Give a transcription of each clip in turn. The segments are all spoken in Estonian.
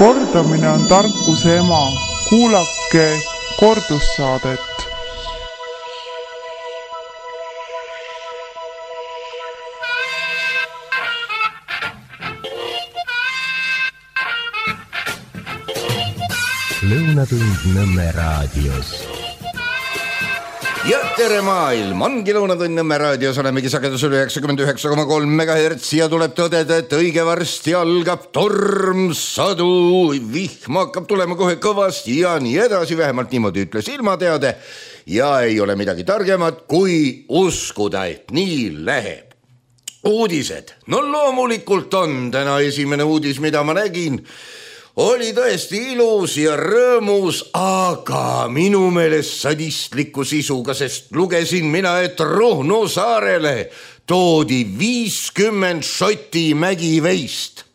Kordamine on tarkuse ema. Kuulake kordussaadet. Lõunatund Nõmme raadios. Ja tere maailm, ongi Lõunatund Nõmme raadios, olemegi sagedusel 99,3 MHz ja tuleb tõdeda, et õige varsti algab torm, sadu, vihm hakkab tulema kohe kõvasti ja nii edasi, vähemalt niimoodi ütles ilmateade ja ei ole midagi targemat kui uskuda, et nii läheb. Uudised, no loomulikult on täna esimene uudis, mida ma nägin, oli tõesti ilus ja rõõmus, aga minu meelest sadistliku sisuga, sest lugesin mina, et Ruhnu saarele toodi 50 šoti mägiveist.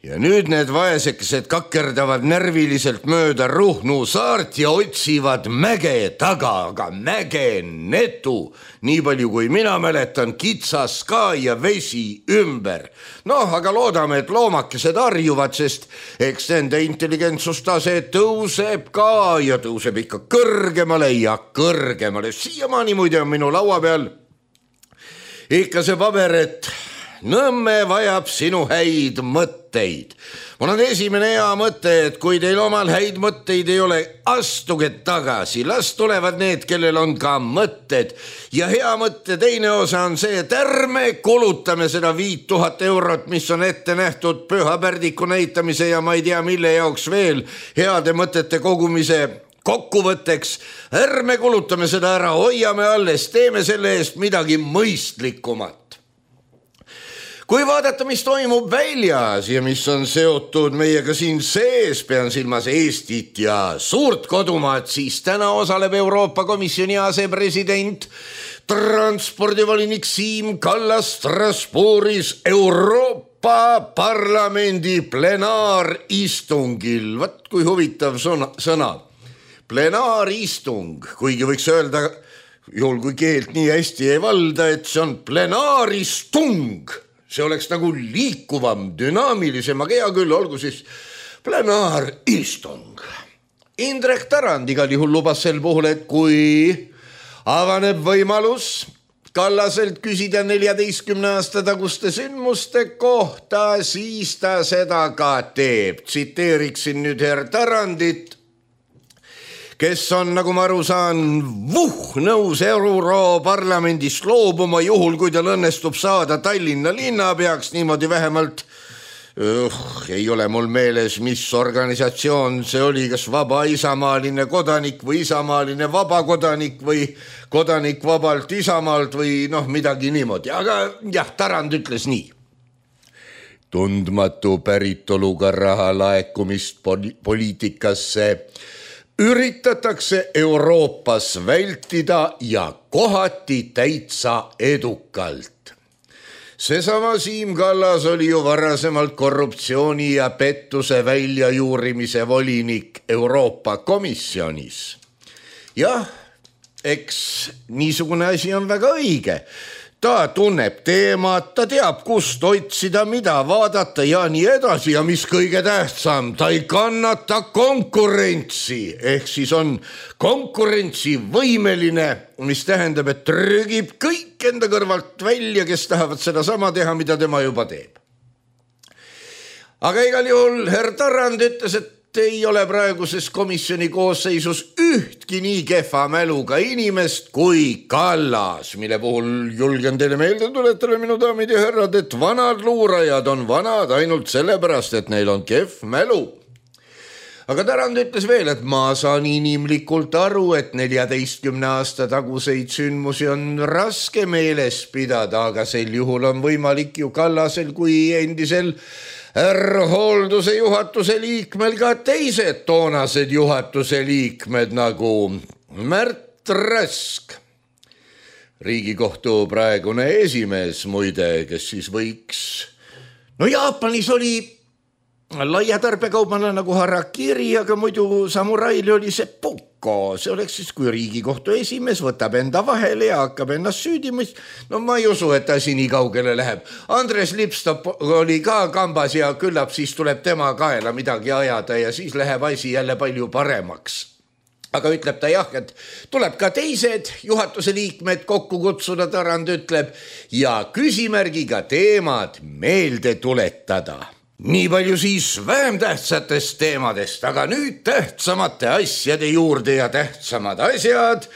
Ja nüüd need vaesekesed kakerdavad närviliselt mööda Ruhnu saart ja otsivad mäge taga, aga mäge netu. Nii palju kui mina mäletan, kitsas ka ja vesi ümber. Aga loodame, et loomakesed harjuvad, sest eks nende intelligentsustase tõuseb ka ja tõuseb ikka kõrgemale ja kõrgemale. Siiamaani muide on minu laua peal ikka see paber, et Nõmme vajab sinu häid mõtteid. Mul on esimene hea mõte, et kui teil omal häid mõtteid ei ole, astuge tagasi, las tulevad need, kellel on ka mõtted. Ja hea mõtte teine osa on see, et ärme kulutame seda 5000 eurot, mis on ette nähtud püha pärdiku näitamise ja ma ei tea mille jaoks veel heade mõtete kogumise kokkuvõtteks. Ärme kulutame seda ära, hoiame alles, teeme selle eest midagi mõistlikumat. Kui vaadata, mis toimub väljas ja mis on seotud meiega siin sees, pean silmas Eestit ja suurt kodumaad, siis täna osaleb Euroopa Komisjoni asepresident, transpordivolinik Siim Kallas Strasbourgis Euroopa Parlamendi plenaaristungil. Vat kui huvitav sõna. Plenaaristung, kuigi võiks öelda, juhul kui keelt nii hästi ei valda, et see on plenaaristung. See oleks nagu liikuvam, dünaamilisem, aga hea küll, olgu siis plenaaristung. Indrek Tarand igal juhul lubas sel puhul, et kui avaneb võimalus Kallaselt küsida 14 aasta taguste sündmuste kohta, siis ta seda ka teeb. Tsiteeriksin nüüd herr Tarandit, kes on, nagu ma aru saan, nõus Europarlamendist loobuma, juhul kui tal õnnestub saada Tallinna linnapeaks, niimoodi vähemalt, ei ole mul meeles, mis organisatsioon see oli, kas vaba isamaaline kodanik või isamaaline vabakodanik või kodanik vabalt isamaalt või midagi niimoodi, aga jah, Tarand ütles nii. Tundmatu päritoluga raha laekumist poliitikasse üritatakse Euroopas vältida ja kohati täitsa edukalt. Seesama Siim Kallas oli ju varasemalt korruptsiooni ja pettuse väljajuurimise volinik Euroopa Komisjonis. Jah, eks niisugune asi on väga õige. Ta tunneb teemat, ta teab, kust otsida, mida vaadata ja nii edasi ja mis kõige tähtsam, ta ei kannata konkurentsi, ehk siis on konkurentsivõimeline, mis tähendab, et trügib kõik enda kõrvalt välja, kes tahavad seda sama teha, mida tema juba teeb. Aga igal juhul herr Tarand ütles, et ei ole praeguses komisjoni koosseisus ühtki nii kehva mäluga inimest kui Kallas, mille puhul julgen teile meelde tuletada, minu daamid ja härrad, et vanad luurajad on vanad ainult sellepärast, et neil on kehv mälu. Aga Tarand ütles veel, et ma saan inimlikult aru, et 14 aasta taguseid sündmusi on raske meeles pidada, aga sel juhul on võimalik ju Kallasel kui endisel hoolduse juhatuse liikmel ka teised toonased juhatuse liikmed nagu Märt Rask, Riigikohtu praegune esimees muide, kes siis võiks, Jaapanis oli laia tarbekaubanna nagu harakiri, aga muidu samuraili oli see pukk. see oleks siis, kui Riigikohtu esimees võtab enda vahele ja hakkab ennast süüdimist. No ma ei usu, et asi nii kaugele läheb. Andres Lipstop oli ka kambas ja küllap siis tuleb tema kaela midagi ajada ja siis läheb asi jälle palju paremaks. Aga ütleb ta jah, et tuleb ka teised juhatuse liikmed kokku kutsuda, Tarand ütleb, ja küsimärgiga teemad meelde tuletada. Nii palju siis vähem tähtsatest teemadest, aga nüüd tähtsamate asjade juurde ja tähtsamad asjad.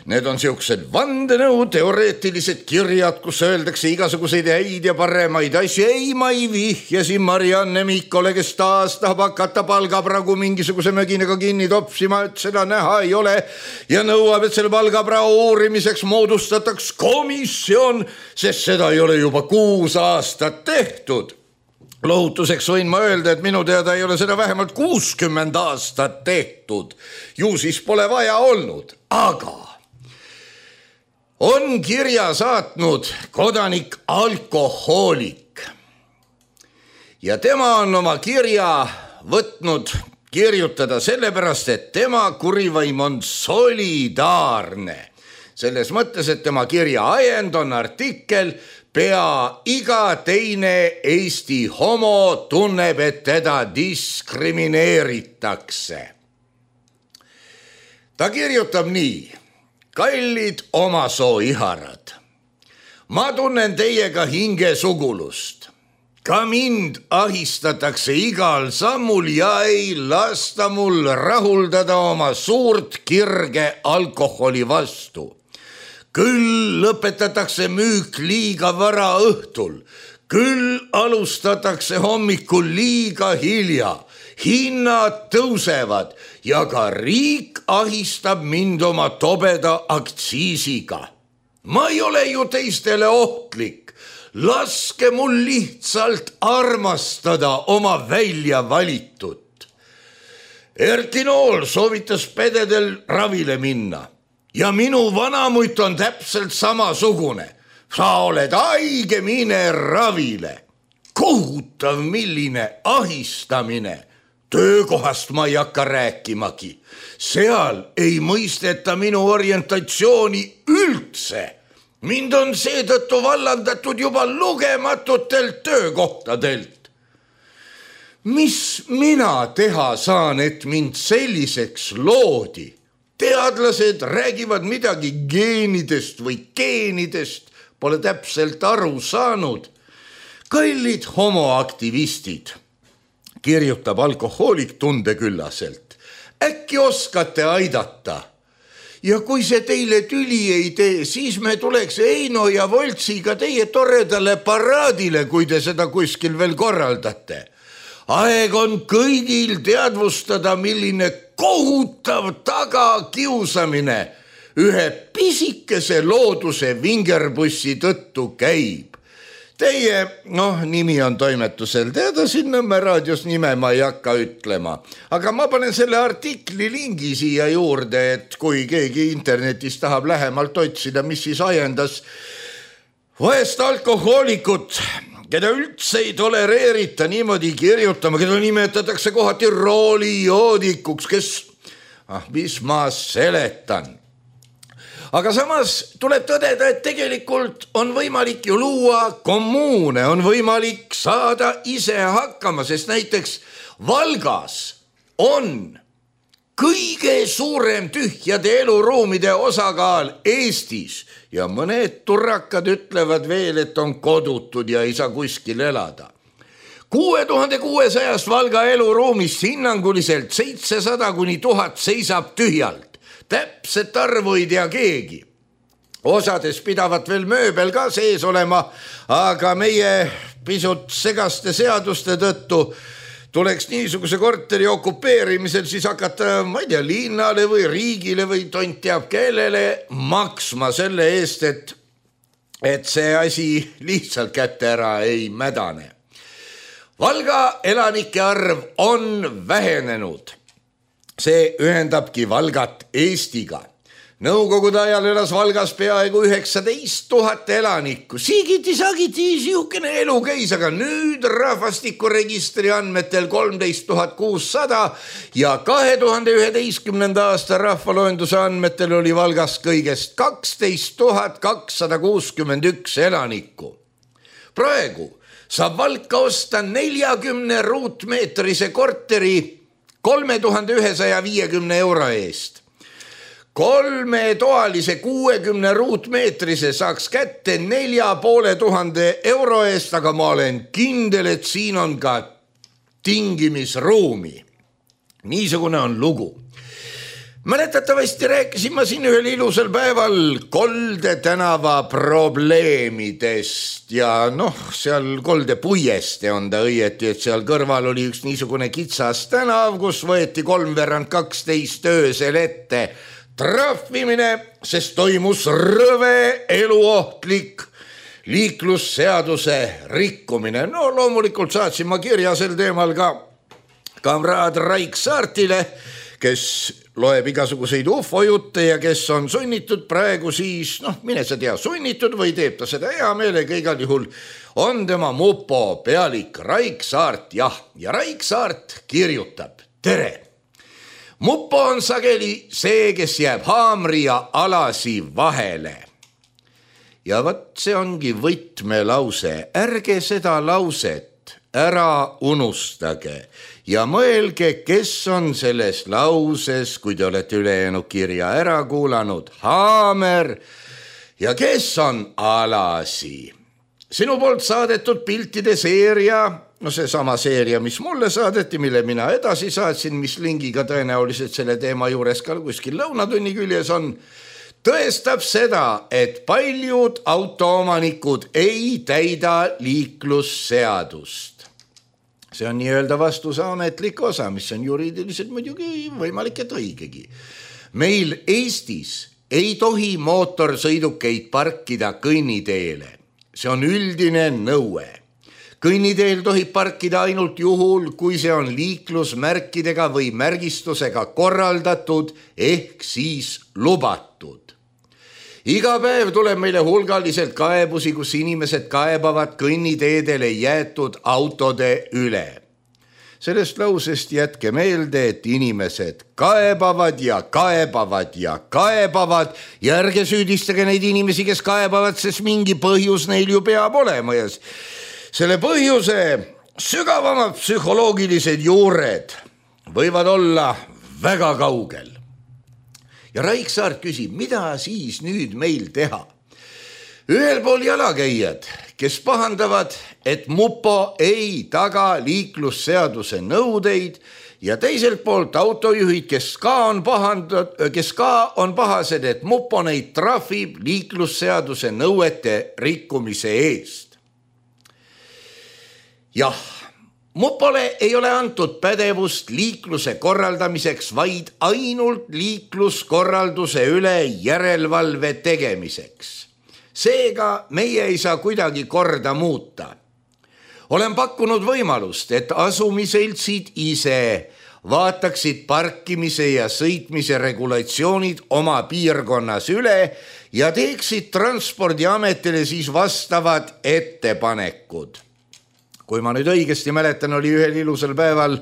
Need on siuksed vandenõu, teoreetilised kirjad, kus öeldakse igasuguseid häid ja paremaid asju. Ei, ma ei vihjasin Marianne Mikkole, kes taas tahab hakata palgapragu mingisuguse möginaga kinni topsima, et seda näha ei ole ja nõuab, et selle palgaprao uurimiseks moodustataks komisjon, sest seda ei ole juba 6 aastat tehtud. Lohutuseks võin ma öelda, et minu teada ei ole seda vähemalt 60 aastat tehtud. Ju siis pole vaja olnud, aga on kirja saatnud kodanik alkohoolik ja tema on oma kirja võtnud kirjutada sellepärast, et tema kurivaim on solidaarne. Selles mõttes, et tema kirja ajend on artikkel Pea iga teine Eesti homo tunneb, et teda diskrimineeritakse. Ta kirjutab nii. Kallid omasoo iharad, ma tunnen teiega hingesugulust. Ka mind ahistatakse igal sammul ja ei lasta mul rahuldada oma suurt kirge alkoholi vastu. Küll lõpetatakse müük liiga vara õhtul, küll alustatakse hommikul liiga hilja. Hinnad tõusevad ja ka riik ahistab mind oma tobeda aktsiisiga. Ma ei ole ju teistele ohtlik. Laske mul lihtsalt armastada oma välja valitut. Erki Nool soovitas pededel ravile minna ja minu vanamutt on täpselt samasugune. Sa oled haige, mine ravile. Kohutav, milline ahistamine. Töökohast ma ei hakka rääkimagi. Seal ei mõisteta minu orientatsiooni üldse. Mind on seetõttu vallandatud juba lugematutelt töökohtadelt. Mis mina teha saan, et mind selliseks loodi? Teadlased räägivad midagi geenidest või geenidest, pole täpselt aru saanud. Kallid homoaktivistid, kirjutab alkohoolik tundeküllaselt. Äkki oskate aidata? Ja kui see teile tüli ei tee, siis me tuleks Eino ja Voltsiga teie toredale paraadile, kui te seda kuskil veel korraldate. Aeg on kõigil teadvustada, milline kohutav tagakiusamine ühe pisikese looduse vingerbussi tõttu käib. Teie, nimi on toimetusel teada, siin Nõmme raadios nime ma ei hakka ütlema. Aga ma panen selle artikli lingi siia juurde, et kui keegi internetis tahab lähemalt otsida, mis siis ajendas vaest alkohoolikut, keda üldse ei tolereerita niimoodi kirjutama, keda nimetatakse kohati roolijoodikuks, kes, mis ma seletan. Aga samas tuleb tõdeda, et tegelikult on võimalik ju luua kommuune, on võimalik saada ise hakkama, sest näiteks Valgas on kõige suurem tühjade eluruumide osakaal Eestis ja mõned turrakad ütlevad veel, et on kodutud ja ei saa kuskil elada. 6600 Valga eluruumist hinnanguliselt 700–1000 seisab tühjalt. Täpset arvu ei tea keegi. Osades pidavat veel mööbel ka sees olema, aga meie pisut segaste seaduste tõttu tuleks niisuguse korteri okupeerimisel siis hakata, ma ei tea, linnale või riigile või tont teab kellele maksma selle eest, et see asi lihtsalt kätte ära ei mädane. Valga elanike arv on vähenenud. See ühendabki Valgat Eestiga. Nõukogude ajal elas Valgas peaaegu 19 000 elanikku. Siigiti-sagiti siukene elu käis, aga nüüd rahvastikuregistri andmetel 13 600 ja 2011. aasta rahvaloenduse andmetel oli Valgas kõigest 12 261 elanikku. Praegu saab Valka osta 40 ruutmeetrise korteri 3150 euro eest. 3-toalise 60 ruutmeetrise saaks kätte 4500 euro eest, aga ma olen kindel, et siin on ka tingimisruumi. Niisugune on lugu. Mäletatavasti rääkisin ma siin ühel ilusal päeval Kolde tänava probleemidest ja seal Kolde puieste on ta õieti, et seal kõrval oli üks niisugune kitsas tänav, kus võeti 3/12 öösel ette trahvimine, sest toimus rõve eluohtlik liiklusseaduse rikkumine. Loomulikult saatsin ma kirja sel teemal ka kamraad Raik Saartile, kes loeb igasuguseid ufojutte ja kes on sunnitud praegu siis, mine sa tea, sunnitud või teeb ta seda hea meelega, igal juhul on tema mupo pealik Raik Saart, ja Raik Saart kirjutab: tere! Mupo on sageli see, kes jääb haamri ja alasi vahele. Ja vat see ongi võtmelause. Ärge seda lauset ära unustage ja mõelge, kes on selles lauses, kui te olete ülejäänud kirja ära kuulanud, haamer ja kes on alasi. Sinu poolt saadetud piltide seeria, seesama seeria, mis mulle saadeti, mille mina edasi saatsin, mis lingiga tõenäoliselt selle teema juures ka kuskil lõunatunni küljes on, tõestab seda, et paljud autoomanikud ei täida liiklusseadust. See on nii-öelda vastuse ametlik osa, mis on juriidiliselt muidugi võimalik, et õigegi. Meil Eestis ei tohi mootorsõidukeid parkida kõnniteele. See on üldine nõue. Kõnniteel tohib parkida ainult juhul, kui see on liiklusmärkidega või märgistusega korraldatud ehk siis lubatud. Iga päev tuleb meile hulgaliselt kaebusi, kus inimesed kaebavad kõnniteedele jäetud autode üle. Sellest lausest jätke meelde, et inimesed kaebavad ja kaebavad ja kaebavad ja ärge süüdistage neid inimesi, kes kaebavad, sest mingi põhjus neil ju peab olema ja selle põhjuse sügavamad psühholoogilised juured võivad olla väga kaugel. Ja Raik Saart küsib, mida siis nüüd meil teha? Ühel pool jalakäijad, kes pahandavad, et mupo ei taga liiklusseaduse nõudeid ja teiselt poolt autojuhid, kes ka on pahased, et mupo neid trahvib liiklusseaduse nõuete rikkumise eest. Jah, mupole ei ole antud pädevust liikluse korraldamiseks, vaid ainult liikluskorralduse üle järelevalve tegemiseks. Seega meie ei saa kuidagi korda muuta. Olen pakkunud võimalust, et asumiseltsid ise vaataksid parkimise ja sõitmise regulatsioonid oma piirkonnas üle ja teeksid Transpordiametile siis vastavad ettepanekud. Kui ma nüüd õigesti mäletan, oli ühel ilusal päeval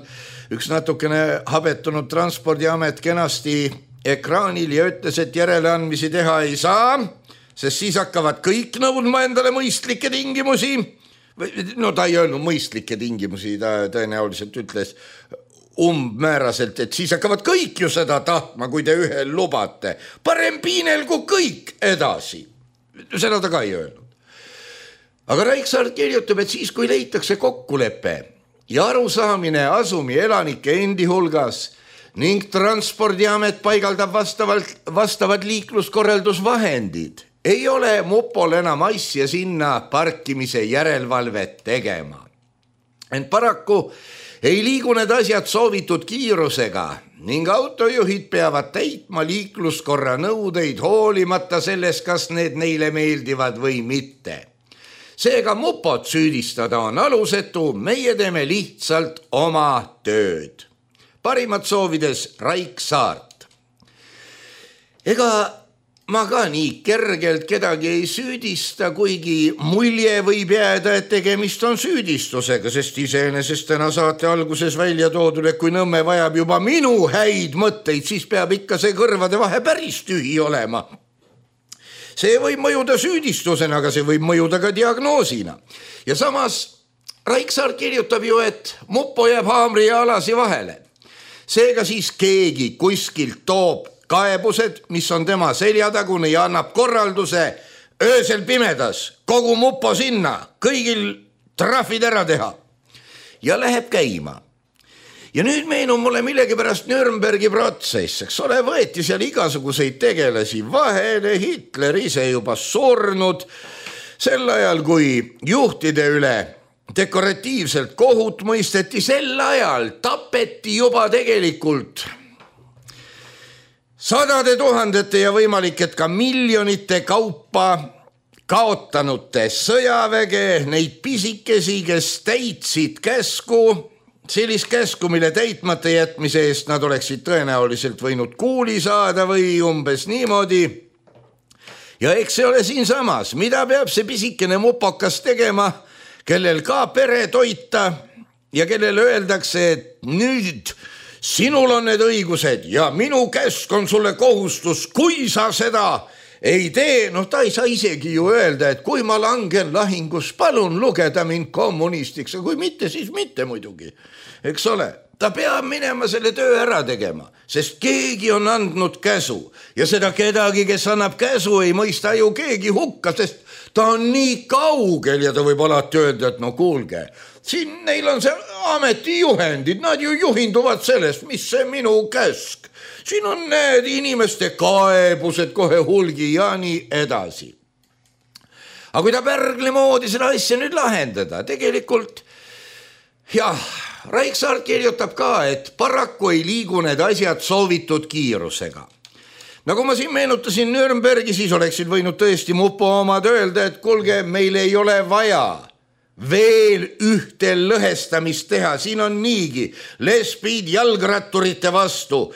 üks natukene habetunud Transpordiamet kenasti ekraanil ja ütles, et järeleandmisi teha ei saa, sest siis hakkavad kõik nõudma endale mõistlikke tingimusi. No ta ei öelnud mõistlikke tingimusi, ta tõenäoliselt ütles umbmääraselt, et siis hakkavad kõik ju seda tahtma, kui te ühel lubate. Parem piinelgu kõik edasi. Seda ta ka ei öelnud. Aga Raik Saart kirjutab, et siis kui leitakse kokkulepe ja arusaamine asumi elanike endi hulgas ning Transpordiamet paigaldab vastavad liikluskorraldusvahendid, ei ole mupol enam asja sinna parkimise järelevalvet tegema. Ent paraku ei liigu need asjad soovitud kiirusega ning autojuhid peavad täitma liikluskorra nõudeid hoolimata sellest, kas need neile meeldivad või mitte. Seega mupot süüdistada on alusetu, meie teeme lihtsalt oma tööd. Parimad soovides Raik Saart. Ega ma ka nii kergelt kedagi ei süüdista, kuigi mulje võib jääda, et tegemist on süüdistusega, sest iseenesest täna saate alguses välja toodud, et kui Nõmme vajab juba minu häid mõtteid, siis peab ikka see kõrvade vahe päris tühi olema. See võib mõjuda süüdistusena, aga see võib mõjuda ka diagnoosina. Ja samas Raiksaar kirjutab ju, et Mupo jääb haamri ja alasi vahele. Seega siis keegi kuskilt toob kaebused, mis on tema seljatagune ja annab korralduse öösel pimedas kogu Mupo sinna, kõigil trahvid ära teha ja läheb käima. Ja nüüd meenub mulle millegipärast Nürnbergi protsess, eks ole, võeti seal igasuguseid tegelasi vahele, Hitler ise juba surnud, sel ajal kui juhtide üle dekoratiivselt kohut mõisteti, sel ajal tapeti juba tegelikult sadade tuhandete ja võimalik, et ka miljonite kaupa kaotanute sõjaväge, neid pisikesi, kes täitsid käsku, sellist käsku, mille täitmata jätmise eest nad oleksid tõenäoliselt võinud kuuli saada või umbes niimoodi. Ja eks see ole siin samas, mida peab see pisikene mupokas tegema, kellel ka pere toita ja kellel öeldakse, et nüüd sinul on need õigused ja minu käsk on sulle kohustus, kui sa seda ei tee, ta ei saa isegi ju öelda, et kui ma langen lahingus, palun lugeda mind kommunistiks, ja kui mitte, siis mitte muidugi, eks ole. Ta peab minema selle töö ära tegema, sest keegi on andnud käsu ja seda kedagi, kes annab käsu, ei mõista ju keegi hukka, sest ta on nii kaugel ja ta võib alati öelda, et no kuulge, siin neil on see ametijuhendid, nad ju juhinduvad sellest, mis see minu käsk. Siin on need inimeste kaebused kohe hulgi ja nii edasi. Aga kui ta Pärgli moodi seda asja nüüd lahendada, tegelikult jah, Raiksaar kirjutab ka, et paraku ei liigu need asjad soovitud kiirusega. Nagu ma siin meenutasin Nürnbergi, siis oleksid võinud tõesti Mupo omad öelda, et kuulge, meil ei ole vaja veel ühte lõhestamist teha, siin on niigi lesbid jalgratturite vastu,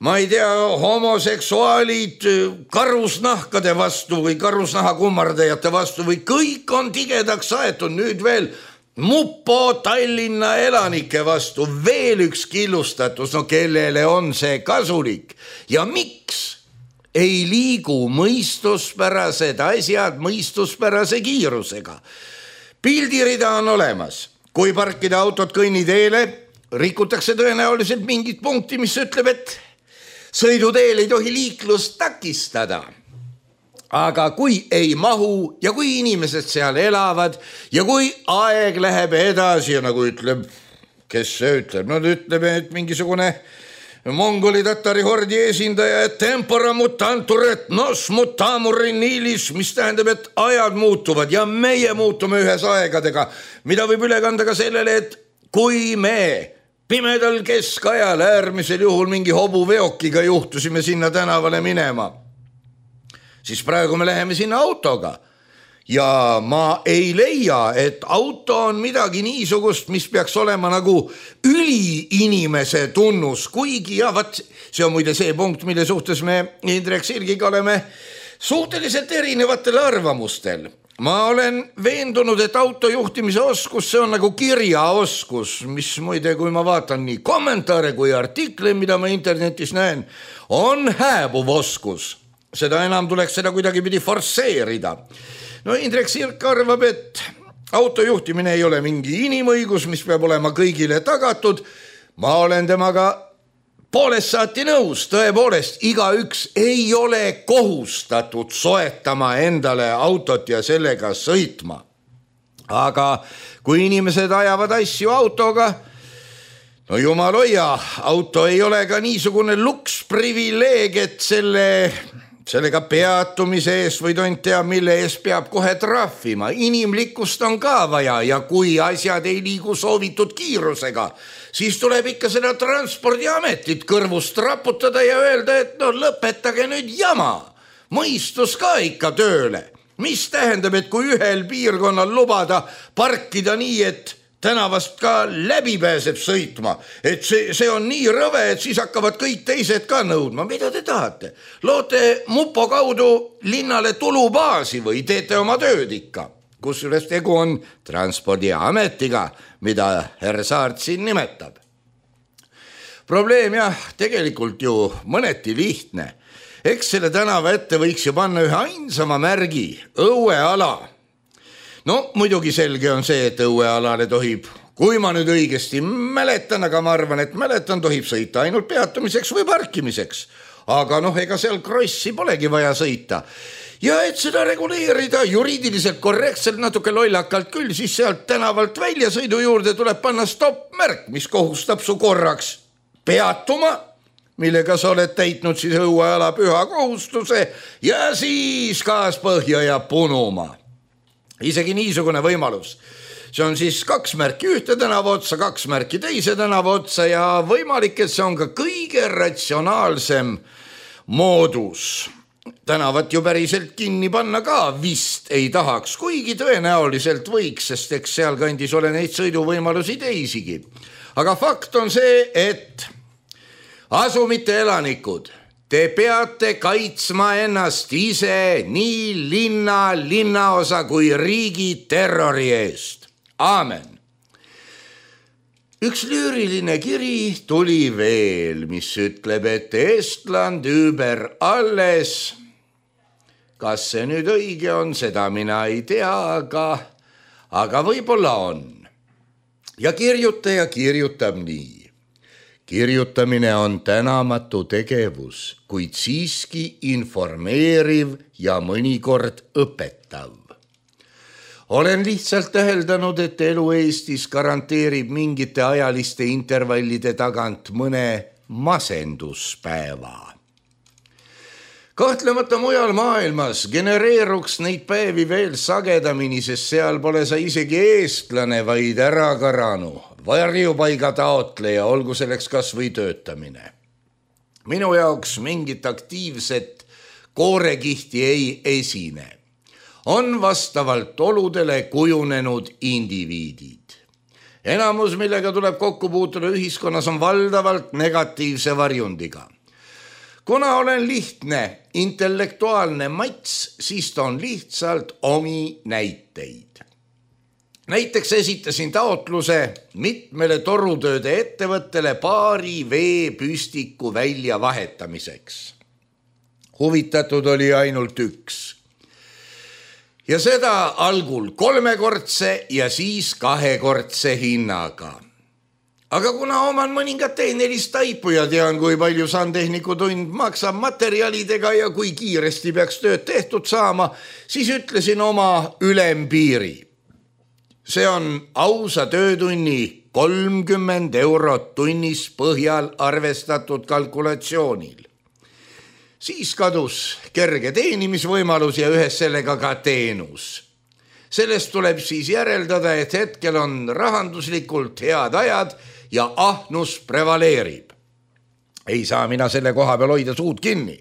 ma ei tea, homoseksuaalid karusnahkade vastu või karusnaha kummardajate vastu või kõik on tigedaks aetud, nüüd veel Mupo Tallinna elanike vastu, veel üks killustatus, no kellele on see kasulik ja miks ei liigu mõistuspärased asjad mõistuspärase kiirusega. Pildirida on olemas, kui parkida autot kõnniteele, rikutakse tõenäoliselt mingit punkti, mis ütleb, et sõiduteel ei tohi liiklust takistada. Aga kui ei mahu ja kui inimesed seal elavad ja kui aeg läheb edasi ja nagu ütleb, kes see ütleb, ütleb, et mingisugune mongoli tatari hordi esindaja, et tempora mutantur et nos mutamur in ilis, mis tähendab, et ajad muutuvad ja meie muutume ühes aegadega, mida võib üle kanda ka sellele, et kui me pimedal keskajal äärmisel juhul mingi hobuveokiga juhtusime sinna tänavale minema, siis praegu me läheme sinna autoga ja ma ei leia, et auto on midagi niisugust, mis peaks olema nagu üliinimese tunnus, kuigi ja vat, see on muide see punkt, mille suhtes me Indrek Sirgiga oleme suhteliselt erinevatel arvamustel. Ma olen veendunud, et autojuhtimise oskus, see on nagu kirjaoskus, mis muide, kui ma vaatan nii kommentaare kui artikle, mida ma internetis näen, on hääbuv oskus. Seda enam tuleks seda kuidagi pidi forsseerida. No Indrek Sirk arvab, et autojuhtimine ei ole mingi inimõigus, mis peab olema kõigile tagatud. Ma olen temaga poolest saati nõus, tõepoolest, igaüks ei ole kohustatud soetama endale autot ja sellega sõitma. Aga kui inimesed ajavad asju autoga, no jumal hoia, auto ei ole ka niisugune luksprivileeg, et sellega peatumise eest või tont tea, mille eest peab kohe trahvima. Inimlikkust on ka vaja ja kui asjad ei liigu soovitud kiirusega, siis tuleb ikka seda transpordiametit kõrvust raputada ja öelda, et lõpetage nüüd jama. Mõistus ka ikka tööle. Mis tähendab, et kui ühel piirkonnal lubada parkida nii, et tänavast ka läbi pääseb sõitma, et see on nii rõve, et siis hakkavad kõik teised ka nõudma. Mida te tahate? Loote mupo kaudu linnale tulubaasi või teete oma tööd ikka? Kusjuures tegu on transpordiametiga, mida härra Saart siin nimetab. Probleem tegelikult ju mõneti lihtne. Eks selle tänava ette võiks ju panna ühe ainsama märgi, õueala. No muidugi selge on see, et õuealale tohib, kui ma nüüd õigesti mäletan, aga ma arvan, et mäletan, tohib sõita ainult peatumiseks või parkimiseks. Aga ega seal krossi polegi vaja sõita. Ja et seda reguleerida juriidiliselt korrektselt natuke lollakalt küll, siis sealt tänavalt väljasõidu juurde tuleb panna stopp-märk, mis kohustab su korraks peatuma, millega sa oled täitnud siis õueala püha kohustuse ja siis gaas põhja ja punuma. Isegi niisugune võimalus. See on siis 2 märki ühte tänava otsa, 2 märki teise tänava otsa ja võimalik, et see on ka kõige ratsionaalsem moodus. Tänavat ju päriselt kinni panna ka vist ei tahaks, kuigi tõenäoliselt võiks, sest eks seal kandis ole neid sõiduvõimalusi teisigi. Aga fakt on see, et asumite elanikud, te peate kaitsma ennast ise nii linnaosa kui riigi terrori eest. Aamen. Üks lüüriline kiri tuli veel, mis ütleb, et Estland über alles. Kas see nüüd õige on, seda mina ei tea, aga võib-olla on. Ja kirjutaja kirjutab nii. Kirjutamine on tänamatu tegevus, kuid siiski informeeriv ja mõnikord õpetav. Olen lihtsalt täheldanud, et elu Eestis garanteerib mingite ajaliste intervallide tagant mõne masenduspäeva. Kahtlemata mujal maailmas genereeruks neid päevi veel sagedamini, sest seal pole sa isegi eestlane, vaid ärakaranu, varjupaiga taotleja, olgu selleks kas või töötamine. Minu jaoks mingit aktiivset koorekihti ei esine. On vastavalt oludele kujunenud indiviidid. Enamus, millega tuleb kokku puutuda ühiskonnas, on valdavalt negatiivse varjundiga. Kuna olen lihtne, intellektuaalne mats, siis toon lihtsalt omi näiteid. Näiteks esitasin taotluse mitmele torutööde ettevõttele paari veepüstiku välja vahetamiseks. Huvitatud oli ainult üks. Ja seda algul 3-kordse ja siis 2-kordse hinnaga. Aga kuna oman mõningat tehnilist taipu ja tean, kui palju sandtehniku tund maksab materjalidega ja kui kiiresti peaks tööd tehtud saama, siis ütlesin oma ülempiiri. See on ausa töötunni 30 eurot tunnis põhjal arvestatud kalkulatsioonil. Siis kadus kerge teenimisvõimalus ja ühes sellega ka teenus. Sellest tuleb siis järeldada, et hetkel on rahanduslikult head ajad ja ahnus prevaleerib. Ei saa mina selle koha peal hoida suud kinni.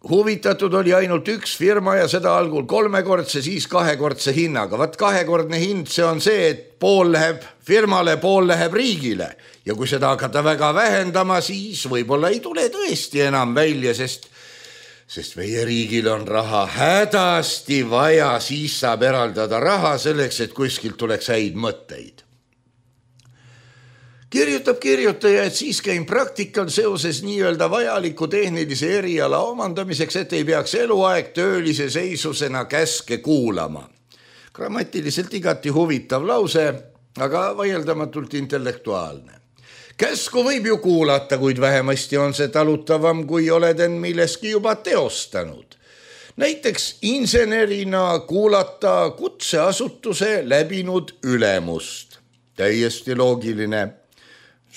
Huvitatud oli ainult üks firma ja seda algul 3-kordse, siis 2-kordse hinnaga. Vaat 2-kordne hind, see on see, et pool läheb firmale, pool läheb riigile. Ja kui seda hakata väga vähendama, siis võib-olla ei tule tõesti enam välja, sest meie riigil on raha hädasti vaja, siis saab eraldada raha selleks, et kuskilt tuleks häid mõtteid. Kirjutab kirjutaja, et siis käin praktikal seoses nii-öelda vajaliku tehnilise eriala omandamiseks, et ei peaks eluaeg töölise seisusena käske kuulama. Grammatiliselt igati huvitav lause, aga vaieldamatult intellektuaalne. Käsku võib ju kuulata, kuid vähemasti on see talutavam, kui oled end milleski juba teostanud. Näiteks insenerina kuulata kutseasutuse läbinud ülemust. Täiesti loogiline.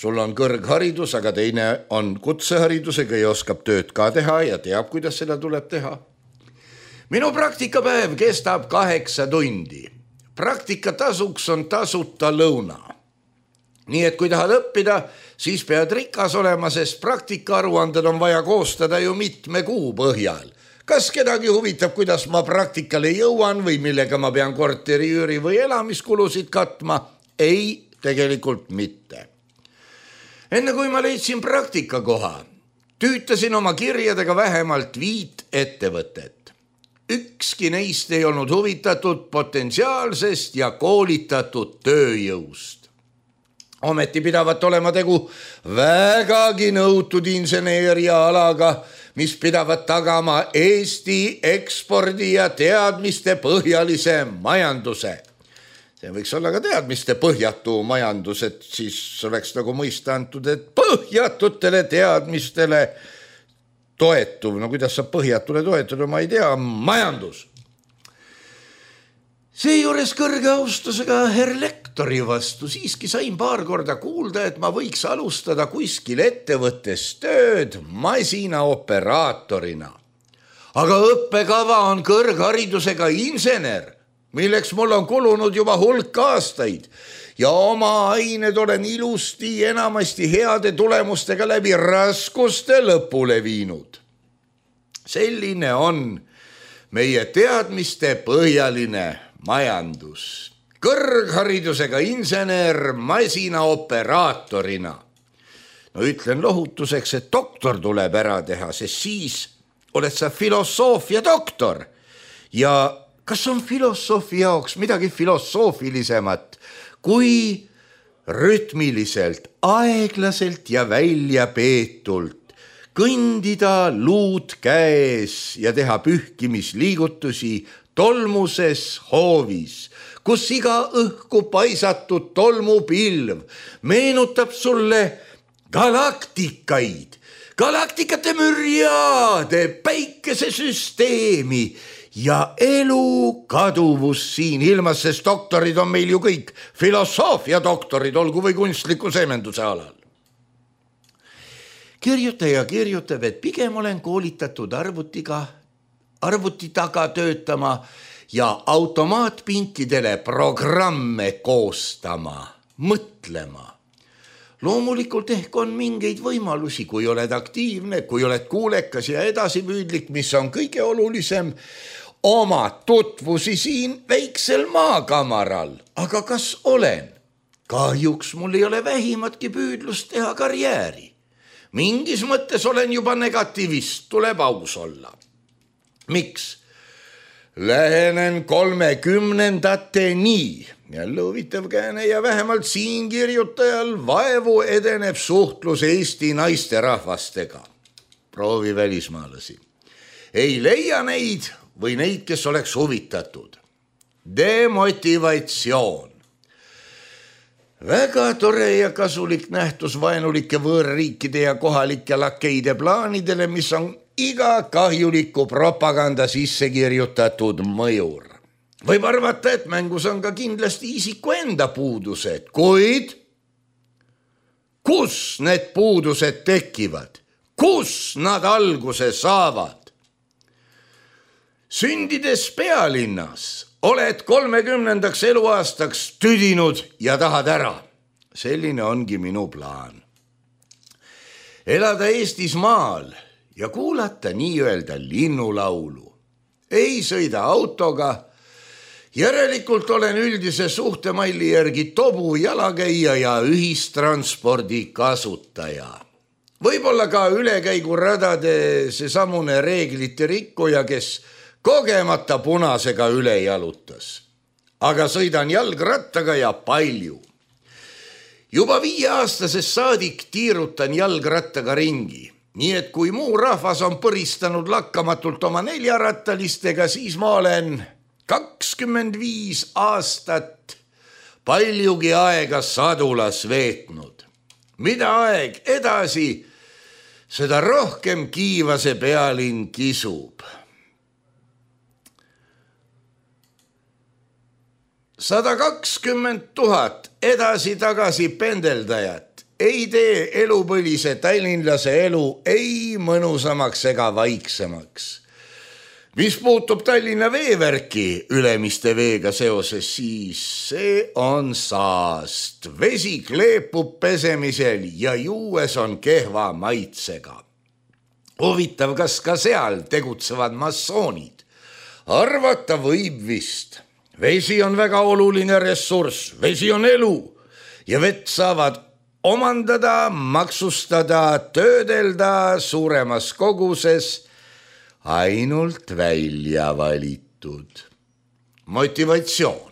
Sul on kõrgharidus, aga teine on kutseharidusega ja oskab tööd ka teha ja teab, kuidas seda tuleb teha. Minu praktikapäev kestab 8 tundi. Praktikatasuks on tasuta lõuna. Nii et kui tahad õppida, siis pead rikas olema, sest praktikaaruanded on vaja koostada ju mitme kuu põhjal. Kas kedagi huvitab, kuidas ma praktikale jõuan või millega ma pean korteri üüri või elamiskulusid katma? Ei, tegelikult mitte. Enne kui ma leidsin praktikakoha, tüütasin oma kirjadega vähemalt 5 ettevõtet. Ükski neist ei olnud huvitatud potentsiaalsest ja koolitatud tööjõust. Ometi pidavat olema tegu vägagi nõutud inseneeriaalaga, mis pidavat tagama Eesti ekspordi ja teadmiste põhjalise majanduse. See võiks olla ka teadmiste põhjatu majandus, et siis oleks nagu mõista antud, et põhjatutele teadmistele toetuv, no kuidas saab põhjatule toetuda, ma ei tea, majandus. Seejuures kõrge austusega herr lektori vastu siiski sain paar korda kuulda, et ma võiks alustada kuskil ettevõttes tööd masinaoperaatorina. Aga õppekava on kõrgharidusega insener, milleks mul on kulunud juba hulk aastaid ja oma ained olen ilusti enamasti heade tulemustega läbi raskuste lõpule viinud. Selline on meie teadmiste põhjaline majandus. Kõrgharidusega insener masinaoperaatorina. No ütlen lohutuseks, et doktor tuleb ära teha, sest siis oled sa filosoofia doktor. Ja kas on filosoofi jaoks midagi filosoofilisemat, kui rütmiliselt, aeglaselt ja väljapeetult kõndida luud käes ja teha pühkimisliigutusi tolmuses hoovis, kus iga õhku paisatud tolmupilv meenutab sulle galaktikaid, galaktikate mürjaade, päikesesüsteemi ja elu kaduvus siin ilmas, sest doktorid on meil ju kõik filosoofia doktorid, olgu või kunstliku semenduse alal. Kirjutaja kirjutab, et pigem olen koolitatud arvuti taga töötama ja automaatpinkidele programme koostama, mõtlema. Loomulikult ehk on mingeid võimalusi, kui oled aktiivne, kui oled kuulekas ja edasipüüdlik, mis on kõige olulisem, oma tutvusi siin väiksel maakamaral. Aga kas olen? Kahjuks mul ei ole vähimatki püüdlust teha karjääri. Mingis mõttes olen juba negativist, tuleb aus olla. Miks? Lähenen 30-ndateni. Jälle huvitav kääne ja vähemalt siin kirjutajal vaevu edeneb suhtlus Eesti naisterahvastega. Proovi välismaalasi. Ei leia neid või neid, kes oleks huvitatud. Demotivatsioon. Väga tore ja kasulik nähtus vaenulike võõrriikide ja kohalike lakeide plaanidele, mis on iga kahjuliku propaganda sisse kirjutatud mõjur. Võib arvata, et mängus on ka kindlasti isiku enda puudused, kuid kus need puudused tekivad? Kus nad alguse saavad? Sündides pealinnas oled 30. eluaastaks tüdinud ja tahad ära. Selline ongi minu plaan. Elada Eestis maal ja kuulata nii-öelda linnulaulu. Ei sõida autoga. Järelikult olen üldise suhtemalli järgi tobu, jalakäija ja ühistranspordi kasutaja. Võib-olla ka ülekäiguradade seesamune reeglite rikkuja, kes kogemata punasega üle jalutas. Aga sõidan jalgrattaga ja palju. Juba 5-aastasest saadik tiirutan jalgrattaga ringi. Nii et kui muu rahvas on põristanud lakkamatult oma 4-rattalistega, siis ma olen 25 aastat paljugi aega sadulas veetnud. Mida aeg edasi, seda rohkem kiivase pealinn kisub. 120 000 edasi-tagasi pendeldajat ei tee elupõlise tallinlase elu ei mõnusamaks ega vaiksemaks. Mis puutub Tallinna veevärki Ülemiste veega seoses, siis see on saast. Vesi kleepub pesemisel ja juues on kehva maitsega. Huvitav, kas ka seal tegutsevad massoonid? Arvata võib vist. Vesi on väga oluline ressurss, vesi on elu ja vett saavad omandada, maksustada, töödelda suuremas koguses ainult välja valitud. Motivatsioon.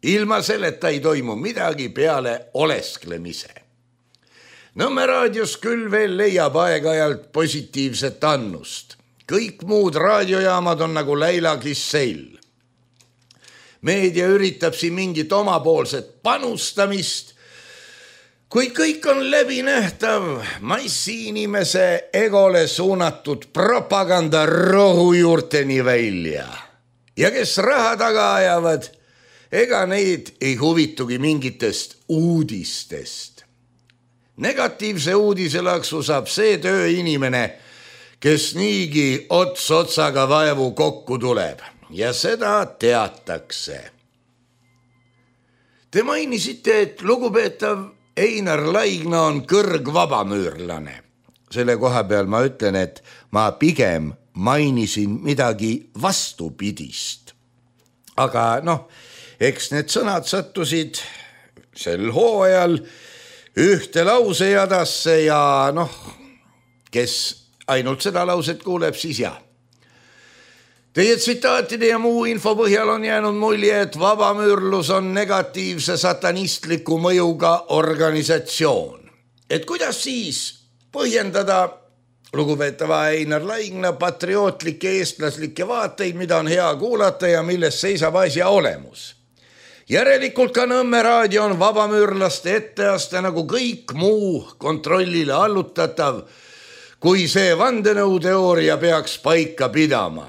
Ilma selleta ei toimu midagi peale olesklemise. Nõmme raadios küll veel leiab aeg-ajalt positiivset annust. Kõik muud raadiojaamad on nagu Läila Kisseil. Meedia üritab siin mingit omapoolset panustamist, kuid kõik on läbinähtav massiinimese egole suunatud propaganda rohujuurteni välja. Ja kes raha taga ajavad, ega neid ei huvitugi mingitest uudistest. Negatiivse uudiselaksu saab see tööinimene, kes niigi ots otsaga vaevu kokku tuleb ja seda teatakse. Te mainisite, et lugupeetav Einar Laigna on kõrgvabamüürlane. Selle koha peal ma ütlen, et ma pigem mainisin midagi vastupidist. Aga eks need sõnad sattusid sel hooajal ühte lausejadasse ja kes ainult seda lauset kuuleb, siis jah. Teie tsitaatide ja muu info põhjal on jäänud mulje, et vabamüürlus on negatiivse satanistliku mõjuga organisatsioon. Et kuidas siis põhjendada lugupeetava Einar Laigna patriootlikke eestlaslikke vaateid, mida on hea kuulata ja milles seisab asja olemus? Järelikult ka Nõmme raadio on vabamüürlaste etteaste nagu kõik muu kontrollile allutatav, kui see vandenõuteooria peaks paika pidama.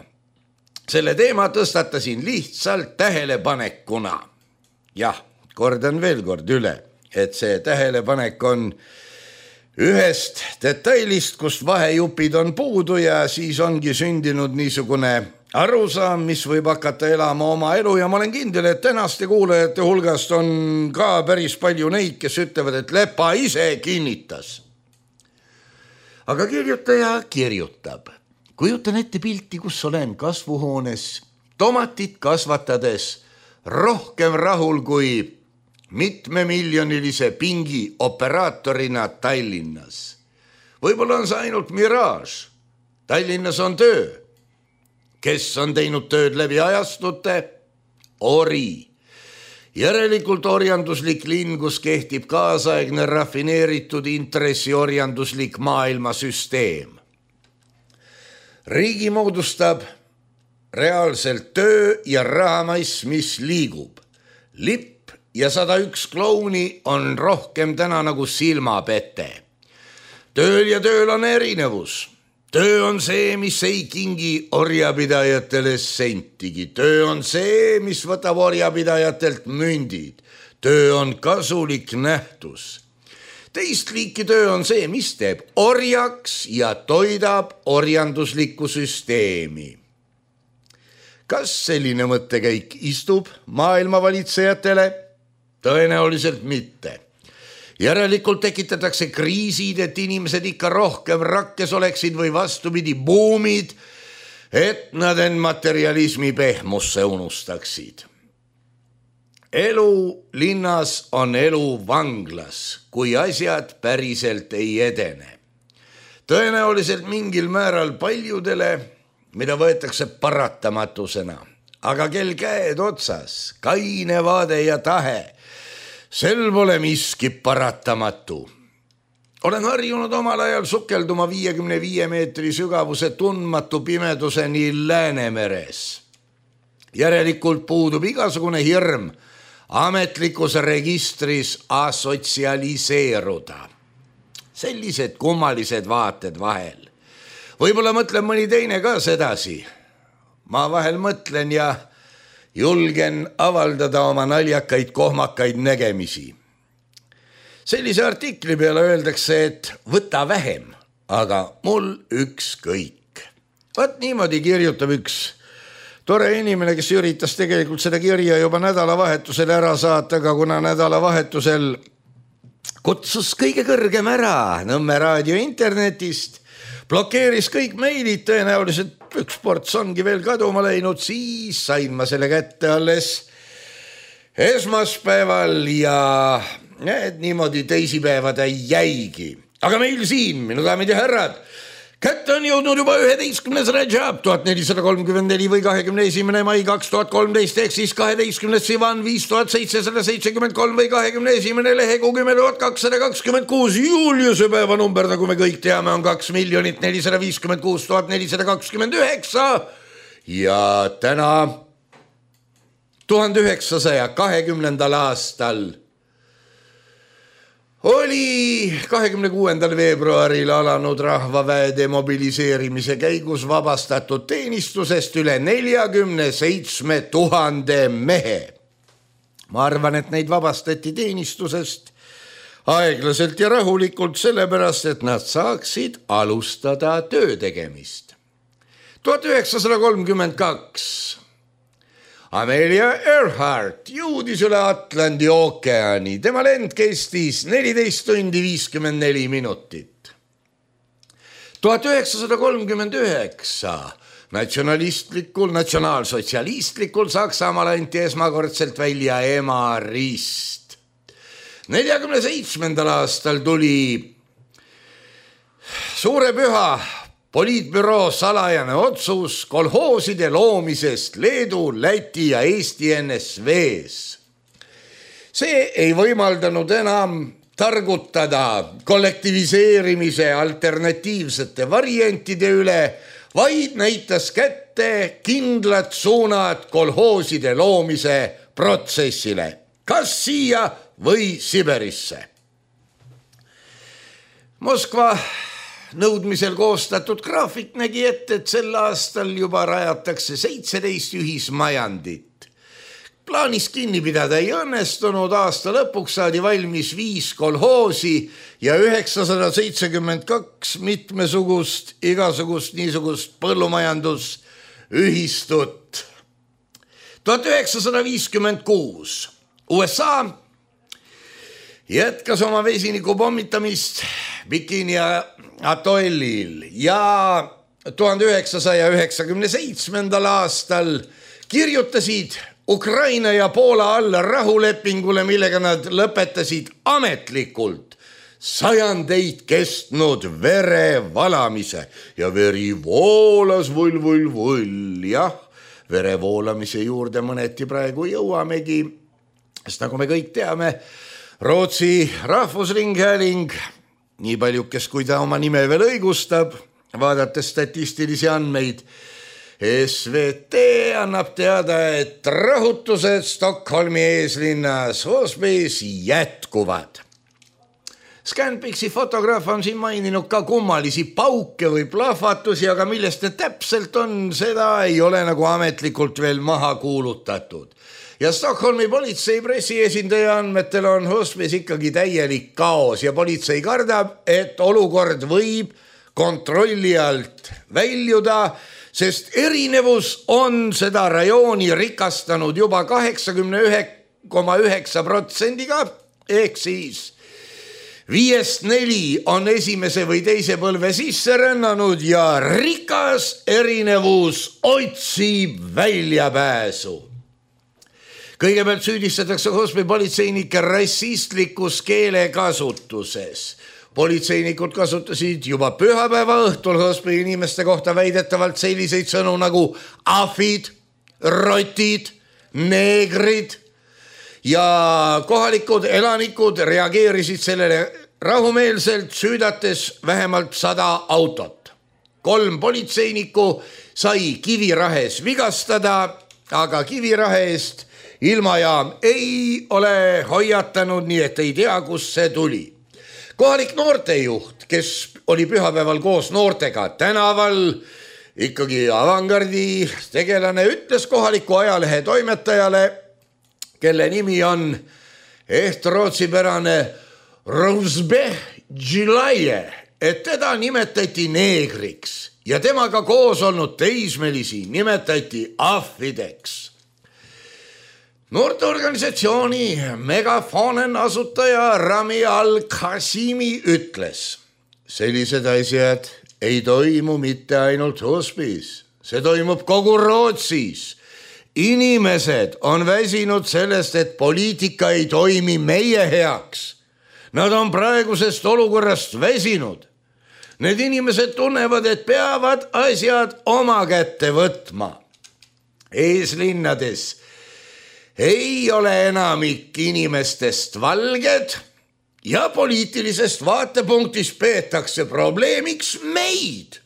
Selle teema tõstatasin lihtsalt tähelepanekuna. Jah, kordan veel kord üle, et see tähelepanek on ühest detailist, kust vahejupid on puudu ja siis ongi sündinud niisugune arusaam, mis võib hakata elama oma elu ja ma olen kindel, et tänaste kuulajate hulgast on ka päris palju neid, kes ütlevad, et Lepa ise kinnitas. Aga kirjutaja kirjutab. Kujutan ette pilti, kus olen kasvuhoones, tomatit kasvatades rohkem rahul kui mitmemiljonilise pingi operaatorina Tallinnas. Võib-olla on see ainult miraaž. Tallinnas on töö. Kes on teinud tööd läbi ajastute? Ori. Järelikult orjanduslik linn, kus kehtib kaasaegne rafineeritud intressiorjanduslik maailmasüsteem. Riigi moodustab reaalselt töö ja rahamass, mis liigub. Lipp ja 101 klouni on rohkem täna nagu silmapete. Tööl ja tööl on erinevus. Töö on see, mis ei kingi orjapidajatele sentigi. Töö on see, mis võtab orjapidajatelt mündid. Töö on kasulik nähtus. Teist liiki töö on see, mis teeb orjaks ja toidab orjanduslikku süsteemi. Kas selline mõttekäik istub maailmavalitsejatele? Tõenäoliselt mitte. Järelikult tekitatakse kriisid, et inimesed ikka rohkem rakkes oleksid või vastupidi buumid, et nad end materialismi pehmusse unustaksid. Elu linnas on elu vanglas, kui asjad päriselt ei edene. Tõenäoliselt mingil määral paljudele, mida võetakse paratamatusena, aga kel käed otsas, kaine vaade ja tahe, sel pole miski paratamatu. Olen harjunud omal ajal sukelduma 55 meetri sügavuse tundmatu pimeduseni Läänemeres. Järelikult puudub igasugune hirm ametlikus registris asotsialiseeruda. Sellised kummalised vaated vahel. Võib-olla mõtlen mõni teine ka sedasi. Ma vahel mõtlen ja julgen avaldada oma naljakaid kohmakaid nägemisi. Sellise artikli peale öeldakse, et võta vähem, aga mul ükskõik. Vaat niimoodi kirjutab üks tore inimene, kes üritas tegelikult seda kirja juba nädalavahetusel ära saata, aga kuna nädalavahetusel kutsus kõige kõrgem ära Nõmme raadio internetist, blokeeris kõik meilid, tõenäoliselt üks ports ongi veel kaduma läinud, siis sain ma selle kätte alles esmaspäeval ja niimoodi teisipäevada jäigi. Aga meil siin, minu daamid ja härrad, kätte on jõudnud juba 11. Rajab 1434 või 21. mai 2013 ehk siis 12. Sivan 5773 või 21. lehekuu 10.226 Juliuse päeva number, nagu me kõik teame, on 2 456 429 ja täna 1920. aastal oli 26. veebruaril alanud rahvaväe demobiliseerimise käigus vabastatud teenistusest üle 47 000 mehe. Ma arvan, et neid vabastati teenistusest aeglaselt ja rahulikult sellepärast, et nad saaksid alustada töö tegemist. 1932 Amelia Earhart jõudis üle Atlandi ookeani. Tema lend kestis 14 tundi 54 minutit. 1939 natsionaalsotsialistlikul Saksamaal anti esmakordselt välja Emarist. 47. aastal tuli suure püha poliitbüroo salajane otsus kolhooside loomisest Leedu, Läti ja Eesti NSV-s. See ei võimaldanud enam targutada kollektiviseerimise alternatiivsete variantide üle, vaid näitas kätte kindlad suunad kolhooside loomise protsessile, kas siia või Siberisse. Moskva nõudmisel koostatud graafik nägi ette, et sel aastal juba rajatakse 17 ühismajandit. Plaanis kinni pidada ei õnnestunud, aasta lõpuks saadi valmis 5 kolhoosi ja 972 mitmesugust, igasugust niisugust põllumajandusühistut. 1956 USA jätkas oma vesiniku pommitamist Bikini atollil ja 1997. aastal kirjutasid Ukraina ja Poola alla rahulepingule, millega nad lõpetasid ametlikult sajandeid kestnud verevalamise ja veri voolas vull. Jah, verevoolamise juurde mõneti praegu jõuamegi, sest nagu me kõik teame, Rootsi rahvusringhääling, nii paljukes kui ta oma nime veel õigustab, vaadates statistilisi andmeid, SVT annab teada, et rahutused Stockholmi eeslinnas Osbys jätkuvad. Scanpixi fotograaf on siin maininud ka kummalisi pauke või plahvatusi, aga millest need täpselt on, seda ei ole nagu ametlikult veel maha kuulutatud. Ja Stockholmi politsei pressiesindaja andmetel on Osbys ikkagi täielik kaos ja politsei kardab, et olukord võib kontrolli alt väljuda, sest erinevus on seda rajooni rikastanud juba 89,9%-ga, ehk siis 5-4 on esimese või teise põlve sisse rännanud ja rikas erinevus otsib väljapääsu. Kõigepealt süüdistatakse Osby politseinikke rassistlikus keelekasutuses. Politseinikud kasutasid juba pühapäeva õhtul Osby inimeste kohta väidetavalt selliseid sõnu nagu ahvid, rotid, neegrid ja kohalikud elanikud reageerisid sellele rahumeelselt, süüdates vähemalt 100 autot. 3 politseinikku sai Kivirahes vigastada, aga Kivirahe eest ilmajaam ei ole hoiatanud, nii et ei tea, kust see tuli. Kohalik noortejuht, kes oli pühapäeval koos noortega tänaval, ikkagi avangardi tegelane, ütles kohaliku ajalehe toimetajale, kelle nimi on rootsipärane Rosbeh Džilaje, et teda nimetati neegriks ja temaga koos olnud teismelisi nimetati ahvideks. Noorteorganisatsiooni Megafonen asutaja Rami Al-Qasimi ütles, sellised asjad ei toimu mitte ainult hospice, see toimub kogu Rootsis. Inimesed on väsinud sellest, et poliitika ei toimi meie heaks. Nad on praegusest olukorrast väsinud. Need inimesed tunnevad, et peavad asjad oma kätte võtma. Eeslinnades ei ole enamik inimestest valged ja poliitilisest vaatepunktist peetakse probleemiks meid.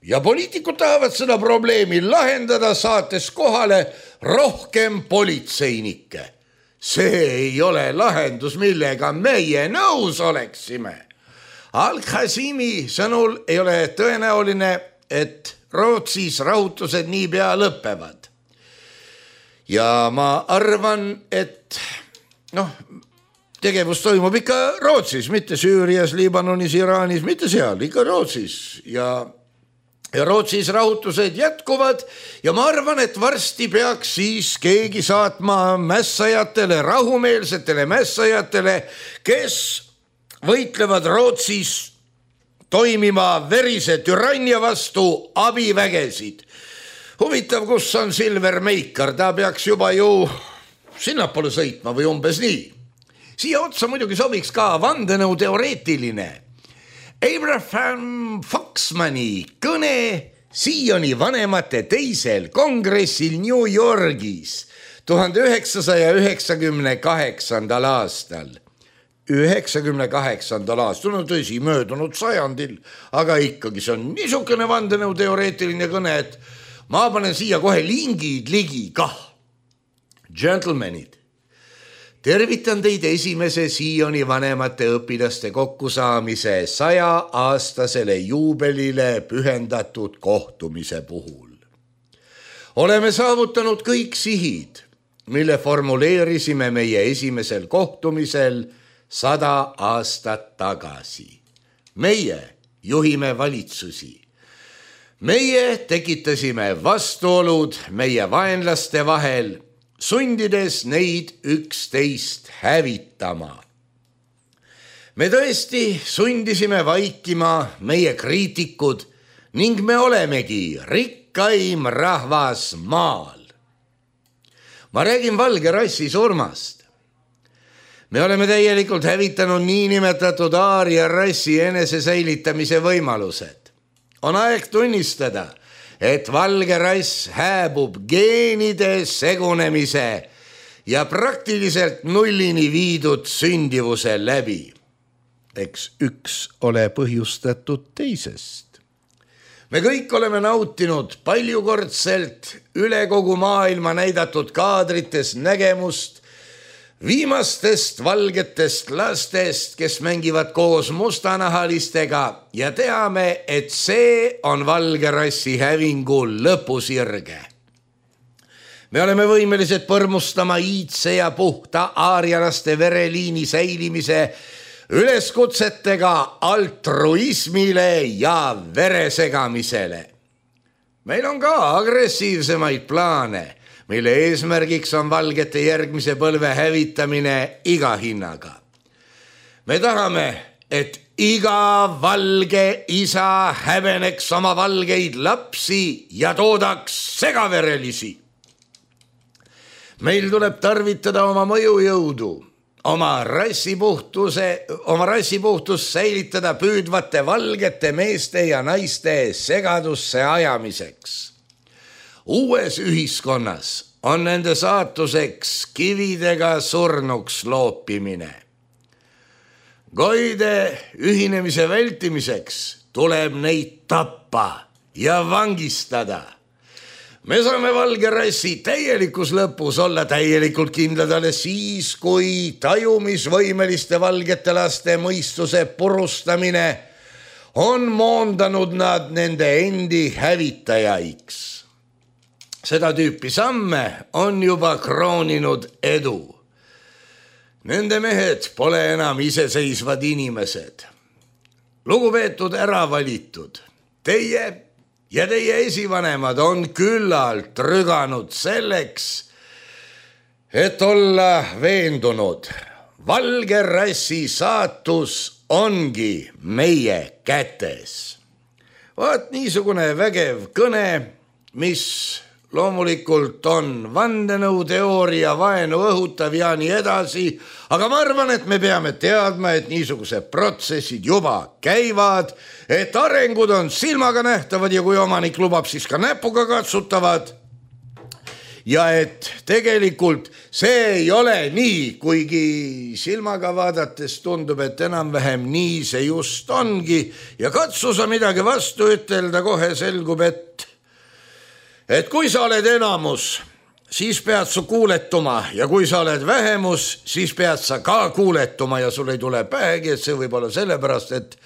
Ja poliitikud tahavad seda probleemi lahendada, saates kohale rohkem politseinikke. See ei ole lahendus, millega meie nõus oleksime. Al-Khazimi sõnul ei ole tõenäoline, et Rootsis rahutused niipea lõppevad. Ja ma arvan, et tegevus toimub ikka Rootsis, mitte Süürias, Liibanonis, Iraanis, mitte seal, ikka Rootsis. Ja Rootsis rahutused jätkuvad ja ma arvan, et varsti peaks siis keegi saatma mässajatele, rahumeelsetele mässajatele, kes võitlevad Rootsis toimima verise türannia vastu abivägesid. Huvitav, kus on Silver Meikar, ta peaks juba ju sinnapoole sõitma või umbes nii. Siia otsa muidugi sobiks ka vandenõu teoreetiline Abraham Foxmani kõne Sioni vanemate teisel kongressil New Yorgis 1998. aastal. 98. aastal, tõsi, möödunud sajandil, aga ikkagi see on niisugune vandenõu teoreetiline kõne, et ma panen siia kohe lingid ligi kah. Gentlemenid, tervitan teid esimese Sioni vanemate õpilaste kokkusaamise 100-aastasele juubelile pühendatud kohtumise puhul. Oleme saavutanud kõik sihid, mille formuleerisime meie esimesel kohtumisel 100 aastat tagasi. Meie juhime valitsusi. Meie tekitasime vastuolud meie vaenlaste vahel, sundides neid üksteist hävitama. Me tõesti sundisime vaikima meie kriitikud ning me olemegi rikkaim rahvas maal. Ma räägin valge rassi surmast. Me oleme täielikult hävitanud niinimetatud aaria rassi enesesäilitamise võimalused. On aeg tunnistada, et valge rass hääbub geenide segunemise ja praktiliselt nullini viidud sündivuse läbi. Eks üks ole põhjustatud teisest. Me kõik oleme nautinud paljukordselt üle kogu maailma näidatud kaadrites nägemust viimastest valgetest lastest, kes mängivad koos mustanahalistega ja teame, et see on valge rassi hävingu lõpusirge. Me oleme võimelised põrmustama iidse ja puhta aarialaste vereliini säilimise üleskutsetega altruismile ja veresegamisele. Meil on ka agressiivsemaid plaane, mille eesmärgiks on valgete järgmise põlve hävitamine iga hinnaga. Me tahame, et iga valge isa häbeneks oma valgeid lapsi ja toodaks segaverelisi. Meil tuleb tarvitada oma mõjujõudu, oma rassipuhtust säilitada püüdvate valgete meeste ja naiste segadusse ajamiseks. Uues ühiskonnas on nende saatuseks kividega surnuks loopimine. Goide ühinemise vältimiseks tuleb neid tappa ja vangistada. Me saame valge rassi täielikus lõpus olla täielikult kindlad alles siis, kui tajumisvõimeliste valgete laste mõistuse purustamine on moondanud nad nende endi hävitajaiks. Seda tüüpi samme on juba krooninud edu. Nende mehed pole enam iseseisvad inimesed. Lugupeetud äravalitud, teie ja teie esivanemad on küllalt rüganud selleks, et olla veendunud. Valge rassi saatus ongi meie kätes. Vaat niisugune vägev kõne, mis loomulikult on vandenõuteooria, vaenu õhutav ja nii edasi, aga ma arvan, et me peame teadma, et niisugused protsessid juba käivad, et arengud on silmaga nähtavad ja kui omanik lubab, siis ka näpuga katsutavad. Ja et tegelikult see ei ole nii, kuigi silmaga vaadates tundub, et enam-vähem nii see just ongi ja katsu sa midagi vastu ütelda, kohe selgub, et kui sa oled enamus, siis pead sa kuuletuma ja kui sa oled vähemus, siis pead sa ka kuuletuma ja sul ei tule päegi, et see võib olla sellepärast, et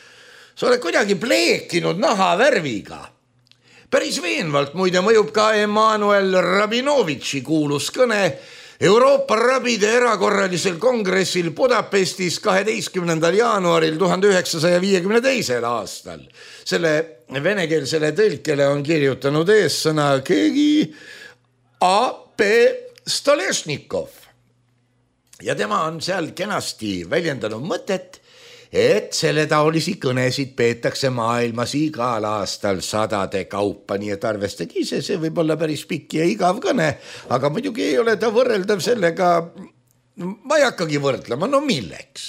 sa oled kuidagi pleekinud nahavärviga. Päris veenvalt muide mõjub ka Emanuel Rabinovitši kuulus kõne Euroopa rabide erakorralisel kongressil Budapestis 12. jaanuaril 1952. aastal. Selle venekeelsele tõlkele on kirjutanud eessõna keegi A.P. Stolešnikov. Ja tema on seal kenasti väljendanud mõtet, et selle taolisi kõnesid peetakse maailmas igal aastal sadade kaupa, nii et arvestage ise, see võib olla päris pikk ja igav kõne, aga muidugi ei ole ta võrreldav sellega, ma ei hakkagi võrdlema, no milleks?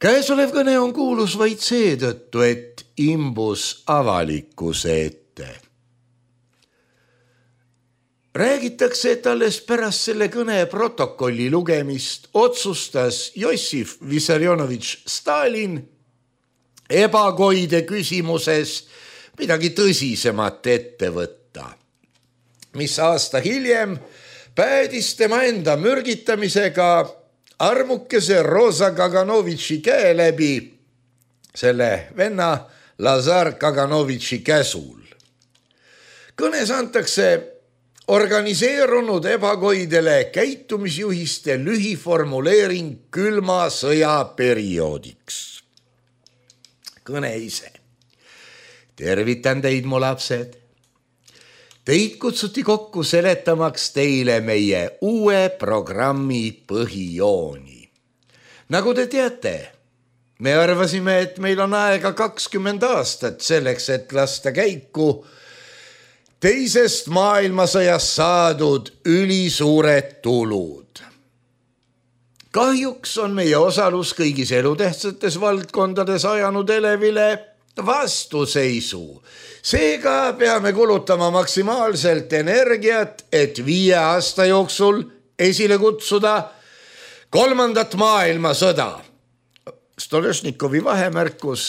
Käesolev kõne on kuulus vaid seetõttu, et imbus avalikkuse ette. Räägitakse, et alles pärast selle kõne protokolli lugemist otsustas Jossif Vissarionovitš Stalin ebakoide küsimuses midagi tõsisemat ette võtta, mis aasta hiljem päädis tema enda mürgitamisega armukese Rosa Kaganovitši käe läbi selle venna Lazar Kaganovitši käsul. Kõnes antakse organiseerunud ebakoidele käitumisjuhiste lühiformuleering külma sõja perioodiks. Kõne ise. Tervitan teid, mu lapsed. Teid kutsuti kokku seletamaks teile meie uue programmi põhijooni. Nagu te teate, me arvasime, et meil on aega 20 aastat selleks, et lasta käiku teisest maailmasõjast saadud ülisuured tulud. Kahjuks on meie osalus kõigis elutähtsates valdkondades ajanud elevile vastuseisu. Seega peame kulutama maksimaalselt energiat, et 5 aasta jooksul esile kutsuda 3. maailmasõda. Stolešnikovi vahemärkus,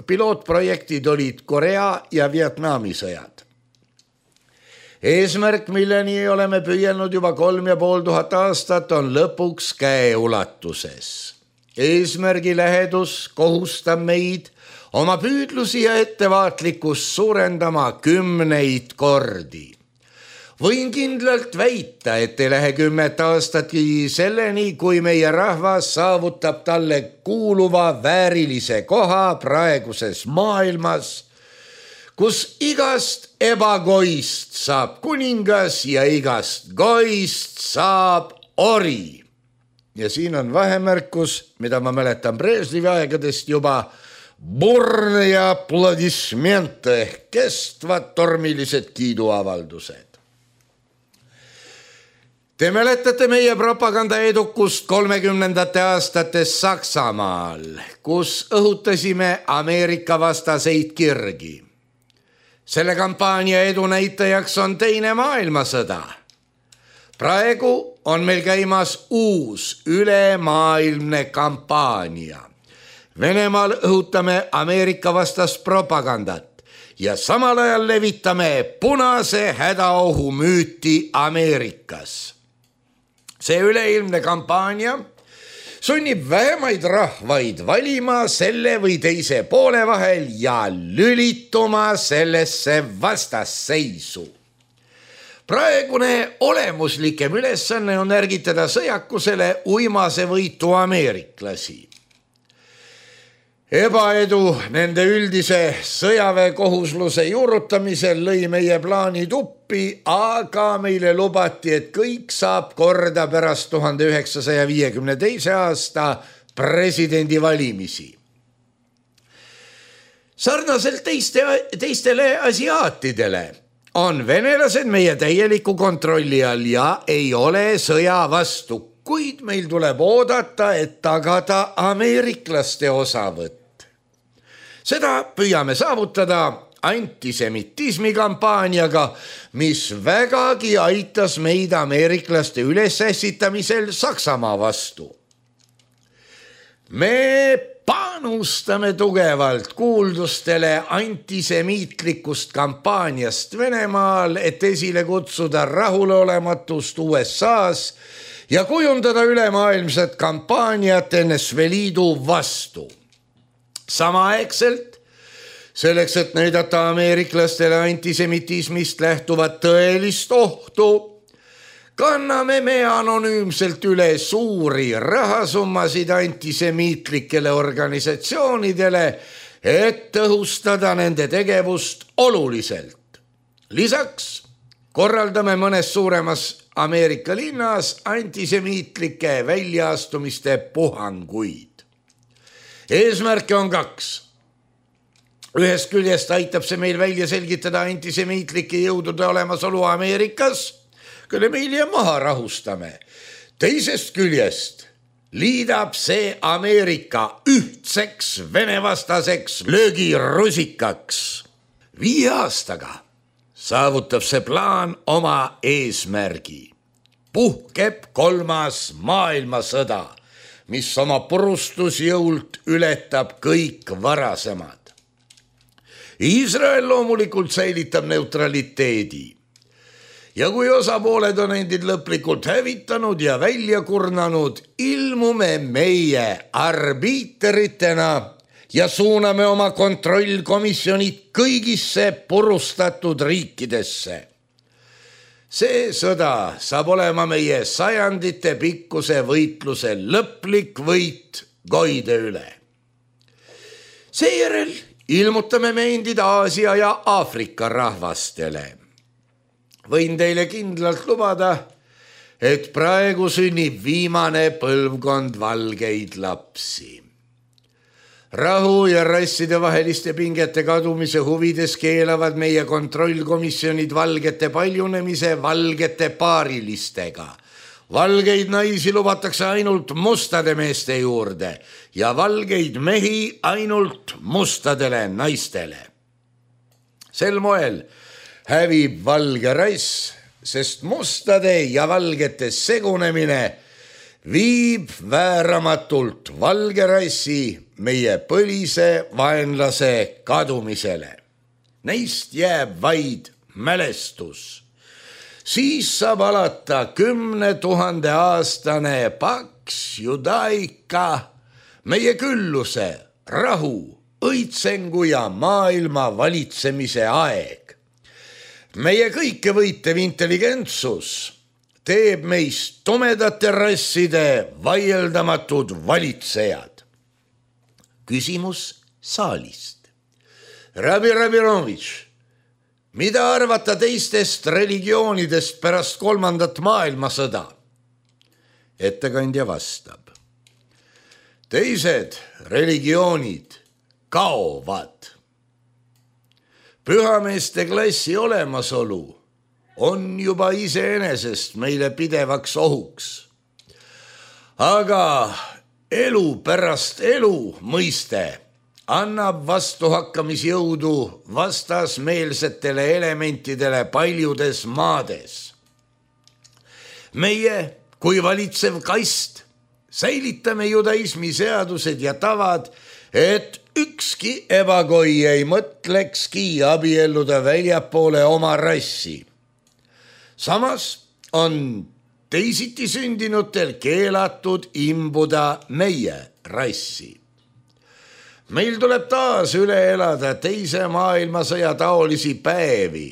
pilootprojektid olid Korea ja Vietnami sõjad. Eesmärk, milleni oleme püüelnud juba 3500 aastat, on lõpuks käeulatuses. Eesmärgi lähedus kohustab meid oma püüdlusi ja ettevaatlikkust suurendama 10 kordi. Võin kindlalt väita, et ei lähe 10 aastatki selleni, kui meie rahvas saavutab talle kuuluva väärilise koha praeguses maailmas, kus igast ebagoist saab kuningas ja igast goist saab ori. Ja siin on vahemärkus, mida ma mäletan Brežnevi aegadest juba, burne ja aplodismente ehk kestvad tormilised kiiduavaldused. Te mäletate meie propaganda edukust 30. aastates Saksamaal, kus õhutasime Ameerika vastaseid kirgi. Selle kampaania edu näitajaks on 2. maailmasõda. Praegu on meil käimas uus ülemaailmne kampaania. Venemaal õhutame Ameerika vastast propagandat ja samal ajal levitame punase hädaohu müüti Ameerikas. See üleilmne kampaania sunnib vähemaid rahvaid valima selle või teise poole vahel ja lülituma sellesse vastasseisu. Praegune olemuslikem ülesanne on ärgitada sõjakusele uimase võitu ameeriklasi. Ebaedu nende üldise sõjaväekohusluse juurutamisel lõi meie plaanid uppi, aga meile lubati, et kõik saab korda pärast 1952. aasta presidendivalimisi. Sarnaselt teistele asiaatidele on venelased meie täieliku kontrolli all ja ei ole sõja vastu, kuid meil tuleb oodata, et tagada ameeriklaste osavõtt. Seda püüame saavutada antisemitismi kampaaniaga, mis vägagi aitas meid ameeriklaste ülesässitamisel Saksamaa vastu. Me panustame tugevalt kuuldustele antisemiitlikust kampaaniast Venemaal, et esile kutsuda rahulolematust USAs ja kujundada ülemaailmset kampaaniat NSV Liidu vastu. Samaaegselt, selleks, et näidata ameeriklastele antisemitismist lähtuvat tõelist ohtu, kanname me anonüümselt üle suuri rahasummasid antisemiitlikele organisatsioonidele, et tõhustada nende tegevust oluliselt. Lisaks korraldame mõnes suuremas Ameerika linnas antisemiitlike väljaastumiste puhanguid. Eesmärke on 2. Ühest küljest aitab see meil välja selgitada antisemiitlike jõudude olemasolu Ameerikas, kelle me hiljem maha rahustame. Teisest küljest liidab see Ameerika ühtseks venevastaseks löögirusikaks. 5 aastaga saavutab see plaan oma eesmärgi. Puhkeb 3. maailmasõda, mis oma purustusjõult ületab kõik varasemad. Iisrael loomulikult säilitab neutraliteedi. Ja kui osapooled on endid lõplikult hävitanud ja välja kurnanud, ilmume meie arbiiteritena ja suuname oma kontrollkomisjonid kõigisse purustatud riikidesse. See sõda saab olema meie sajandite pikkuse võitluse lõplik võit goide üle. Seejärel ilmutame me endid Aasia ja Aafrika rahvastele. Võin teile kindlalt lubada, et praegu sünnib viimane põlvkond valgeid lapsi. Rahu ja rasside vaheliste pingete kadumise huvides keelavad meie kontrollkomisjonid valgete paljunemise valgete paarilistega. Valgeid naisi lubatakse ainult mustade meeste juurde ja valgeid mehi ainult mustadele naistele. Sel moel hävib valge rass, sest mustade ja valgete segunemine viib vääramatult valge rassi meie põlise vaenlase kadumisele. Neist jääb vaid mälestus. Siis saab alata 10 000 aastane paks judaika, meie külluse, rahu, õitsengu ja maailma valitsemise aeg. Meie kõike võitev intelligentsus teeb meist tumedate rasside vaieldamatud valitsejad. Küsimus saalist. Rabi Rabinovitš, mida arvata teistest religioonidest pärast 3. maailmasõda? Ettekandja vastab. Teised religioonid kaovad. Pühameeste klassi olemasolu on juba iseenesest meile pidevaks ohuks. Aga elu pärast elu mõiste annab vastuhakkamisjõudu vastasmeelsetele elementidele paljudes maades. Meie kui valitsev kast säilitame judaismi seadused ja tavad, et ükski ebagoi ei mõtlekski abielluda väljapoole oma rassi. Samas on teisiti sündinutel keelatud imbuda meie rassi. Meil tuleb taas üle elada teise maailmasõja taolisi päevi,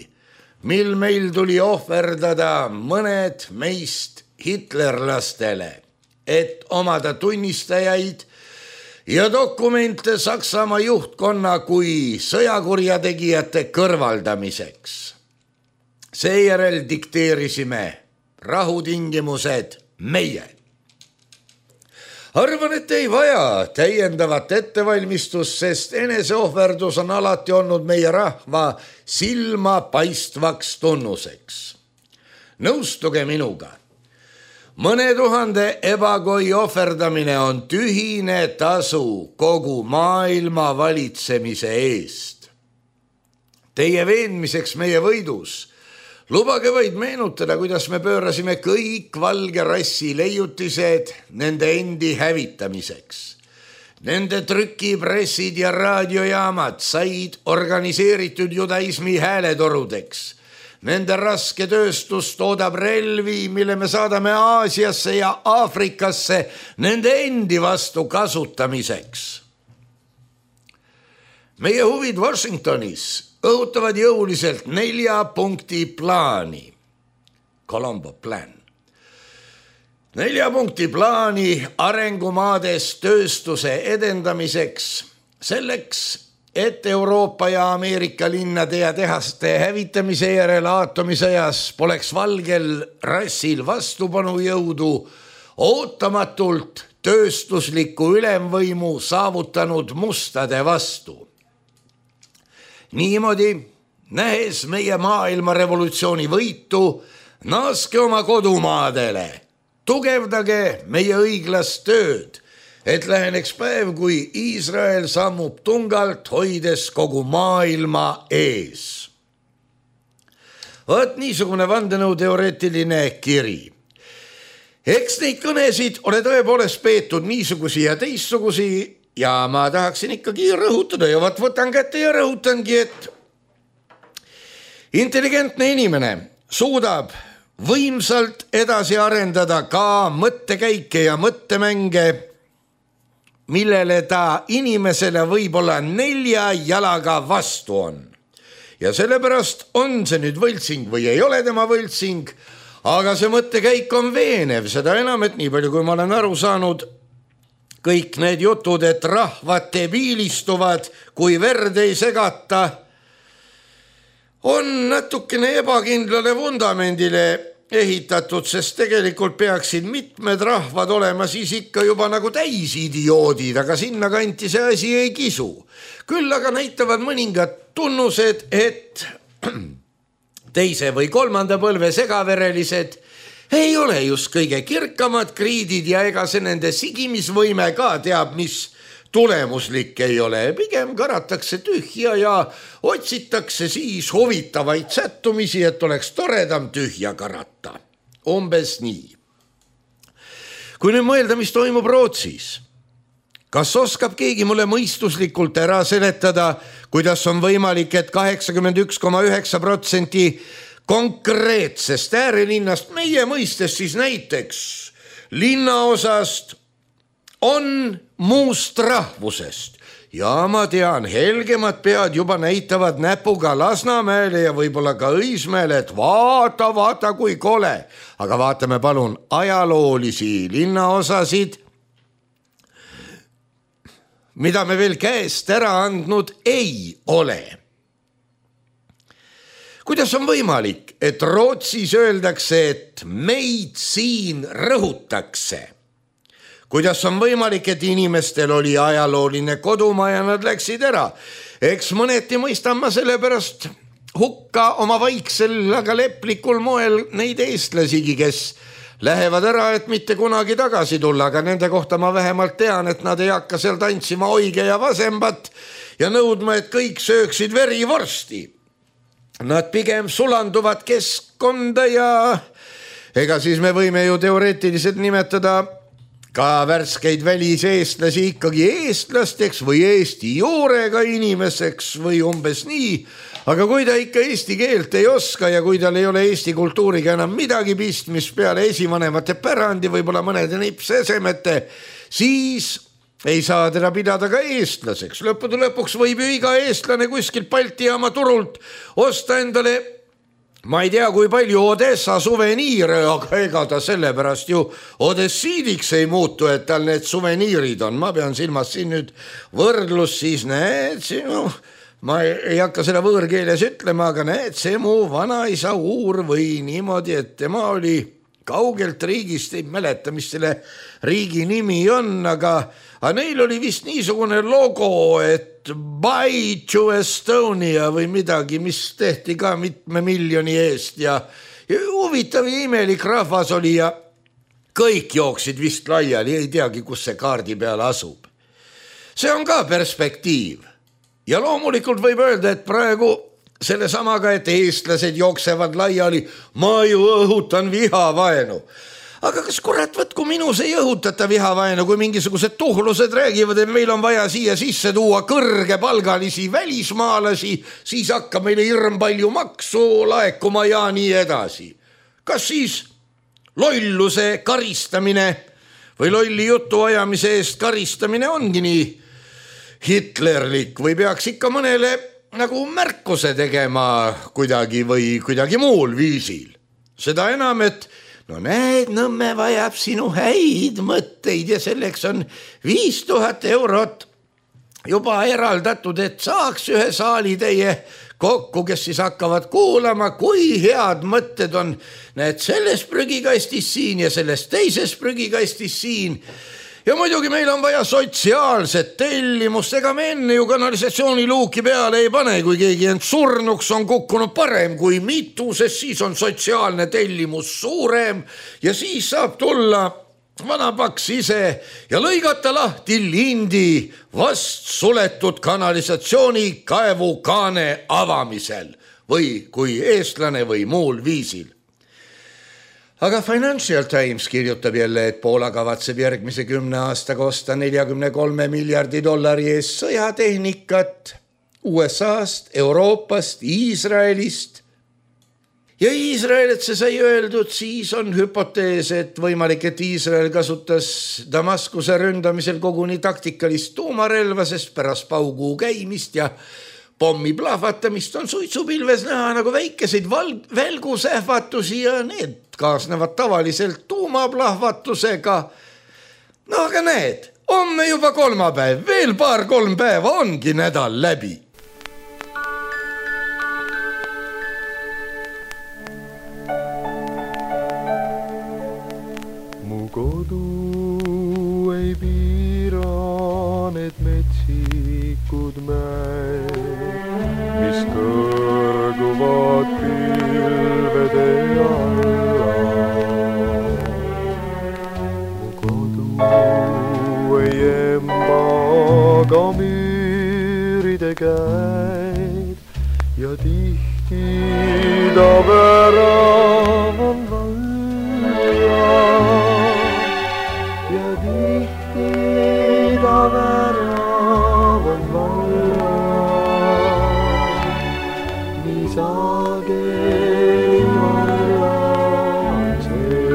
mil meil tuli ohverdada mõned meist hitlerlastele, et omada tunnistajaid ja dokumente Saksamaa juhtkonna kui sõjakurjategijate kõrvaldamiseks. Seejärel dikteerisime rahutingimused meie. Arvan, et ei vaja täiendavat ettevalmistust, sest eneseohverdus on alati olnud meie rahva silma paistvaks tunnuseks. Nõustuge minuga. Mõne tuhande ebakoi ohverdamine on tühine tasu kogu maailma valitsemise eest. Teie veenmiseks meie võidus lubage vaid meenutada, kuidas me pöörasime kõik valge rassi leiutised nende endi hävitamiseks. Nende trükipressid ja raadiojaamad said organiseeritud judaismi hääletorudeks. Nende raske tööstus toodab relvi, mille me saadame Aasiasse ja Aafrikasse nende endi vastu kasutamiseks. Meie huvid Washingtonis õhutavad jõuliselt 4 punkti plaani. Colombo plan. 4 punkti plaani arengumaades tööstuse edendamiseks, selleks, et Euroopa ja Ameerika linnade ja tehaste hävitamise järel aatomisõjas poleks valgel rassil vastupanujõudu ootamatult tööstusliku ülemvõimu saavutanud mustade vastu. Niimoodi, nähes meie maailma revolutsiooni võitu, naaske oma kodumaadele, tugevdage meie õiglast tööd, et läheneks päev, kui Iisrael sammub tungalt, hoides kogu maailma ees. Vaat niisugune vandenõuteoreetiline kiri. Eks neid kõnesid ole tõepoolest peetud niisugusi ja teistsugusi, ja ma tahaksin ikkagi rõhutada ja võtan kätte ja rõhutangi, et intelligentne inimene suudab võimsalt edasi arendada ka mõttekäike ja mõttemänge, millele ta inimesele võib-olla 4 jalaga vastu on. Ja sellepärast on see nüüd võltsing või ei ole tema võltsing, aga see mõttekäik on veenev, seda enam, et nii palju, kui ma olen aru saanud, kõik need jutud, et rahvad debiilistuvad, kui verd ei segata, on natukene ebakindlale vundamendile ehitatud, sest tegelikult peaksid mitmed rahvad olema siis ikka juba nagu täisidioodid, aga sinna kanti see asi ei kisu. Küll aga näitavad mõningad tunnused, et teise või 3. põlve segaverelised ei ole just kõige kirkamad kriidid ja ega see nende sigimisvõime ka teab, mis tulemuslik ei ole. Pigem karatakse tühja ja otsitakse siis huvitavaid sättumisi, et oleks toredam tühja karata. Umbes nii. Kui nüüd mõelda, mis toimub Rootsis, kas oskab keegi mulle mõistuslikult ära seletada, kuidas on võimalik, et 81,9% konkreetsest äärelinnast, meie mõistes siis näiteks linnaosast, on muust rahvusest. Ja ma tean, helgemad pead juba näitavad näpuga Lasnamäele ja võib-olla ka Õismäele, et vaata, kui kole. Aga vaatame palun ajaloolisi linnaosasid, mida me veel käest ära andnud ei ole. Kuidas on võimalik, et Rootsis öeldakse, et meid siin rõhutakse? Kuidas on võimalik, et inimestel oli ajalooline kodumaa ja nad läksid ära? Eks mõneti mõistan ma sellepärast hukka oma vaiksel, aga leplikul moel neid eestlasigi, kes lähevad ära, et mitte kunagi tagasi tulla, aga nende kohta ma vähemalt tean, et nad ei hakka seal tantsima oige ja vasembat ja nõudma, et kõik sööksid verivorsti. Nad pigem sulanduvad keskkonda ja ega siis me võime ju teoreetiliselt nimetada ka värskeid väliseestlasi ikkagi eestlasteks või eesti juurega inimeseks või umbes nii, aga kui ta ikka eesti keelt ei oska ja kui tal ei ole eesti kultuuriga enam midagi pistmist peale esivanemate pärandi, võib-olla mõnede nipsesemete, siis ei saa teda pidada ka eestlaseks. Lõppude lõpuks võib ju iga eestlane kuskil Balti jaama turult osta endale, ma ei tea, kui palju Odessa suveniire, aga ega ta sellepärast ju odessiidiks ei muutu, et tal need suveniirid on. Ma pean silmas siin nüüd võrdlus, siis näed, ma ei hakka seda võõrkeeles ütlema, aga näed, see mu vanaisa uur või niimoodi, et tema oli kaugelt riigist, ei mäleta, mis selle riigi nimi on, aga neil oli vist niisugune logo, et Buy to Estonia või midagi, mis tehti ka mitme miljoni eest ja huvitav ja imelik rahvas oli ja kõik jooksid vist laiali, ei teagi, kus see kaardi peal asub. See on ka perspektiiv ja loomulikult võib öelda, et praegu selle samaga, et eestlased jooksevad laiali, ma ju õhutan vihavaenu. Aga kas kurat, võtku minus ei õhutata vihavaenu, kui mingisugused tuhlused räägivad, et meil on vaja siia sisse tuua kõrgepalgalisi välismaalasi, siis hakkab meile hirm palju maksu laekuma ja nii edasi. Kas siis lolluse karistamine või lolli jutu ajamise eest karistamine ongi nii hitlerlik või peaks ikka mõnele nagu märkuse tegema kuidagi või kuidagi muul viisil. Seda enam, et no näed, Nõmme vajab sinu häid mõtteid ja selleks on 5000 eurot juba eraldatud, et saaks ühe saalitäie kokku, kes siis hakkavad kuulama, kui head mõtted on. Näed, selles prügikastis siin ja selles teises prügikastis siin. Ja muidugi meil on vaja sotsiaalset tellimust, ega me enne ju kanalisatsiooniluuki peale ei pane, kui keegi end surnuks on kukkunud parem kui mitu, sest siis on sotsiaalne tellimus suurem ja siis saab tulla vanapaks ise ja lõigata lahti lindi vast suletud kanalisatsiooni kaevukaane avamisel või kui eestlane või muul viisil. Aga Financial Times kirjutab jälle, et Poola kavatseb järgmise 10 aastaga osta $43 miljardi eest sõjatehnikat USA-st, Euroopast, Iisraelist. Ja Iisrael, et see sai öeldud, siis on hüpotees, et võimalik, et Iisrael kasutas Damaskuse ründamisel koguni taktikalist tuumarelva, sest pärast pauguu käimist ja pommi plahvatamist on suitsupilves näha nagu väikeseid välgusähvatusi ja need kaasnevad tavaliselt tuumaplahvatusega. No aga näed, homme juba kolmapäev, veel 2-3 päeva ongi nädal läbi. Mu kodu ei piira need metsikud mäed, mis kõrguvad pilvede alla. Mu kodu ei emba ka müüride käed ja tihti ta värav on valla ja tihti ta värav on valla. Sageli valla on see.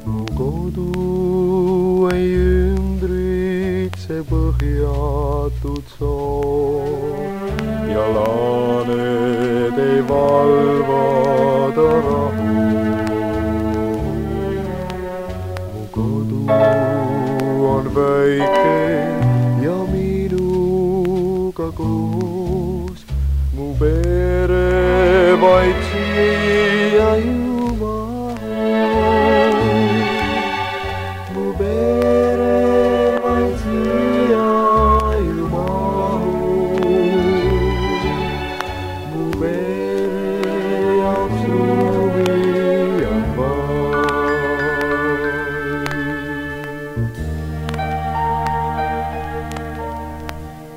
Mu kodu ei ümbritse põhjatud sood ja laaned ei valvada rahu. Mu kodu on väike ja minuga koos, mu pere vaid siia ju mahub. Mu pere vaid siia ju mahub. Mu pere jaoks ruumi on vaid.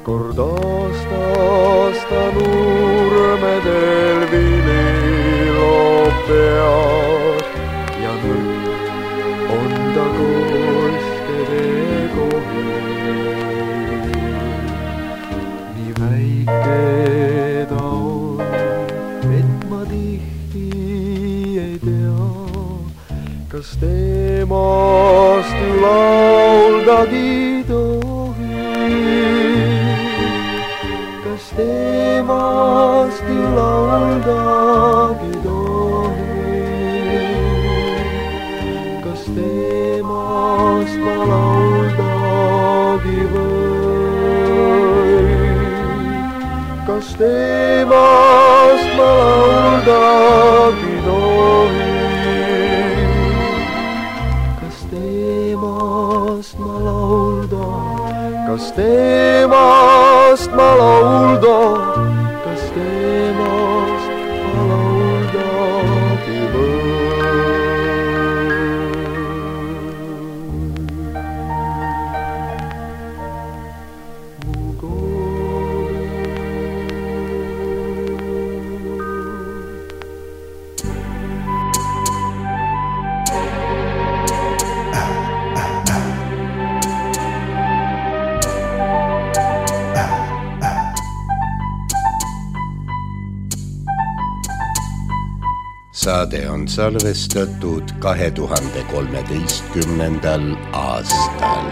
Kord aastasta nurmedel vililoob pead ja nõrk on ta koskede kohil. Nii väike ta on, et ma tihti ei tea, kas temast lauldagi tohi. Kas temast lauldagi tohi? Kas temast ma lauldagi või? Kas ei tohi. Kas teemast ma lauldan, kas teemast ma lauldan, kas teemast ma lauldagi või? Saade on salvestatud 2013. aastal.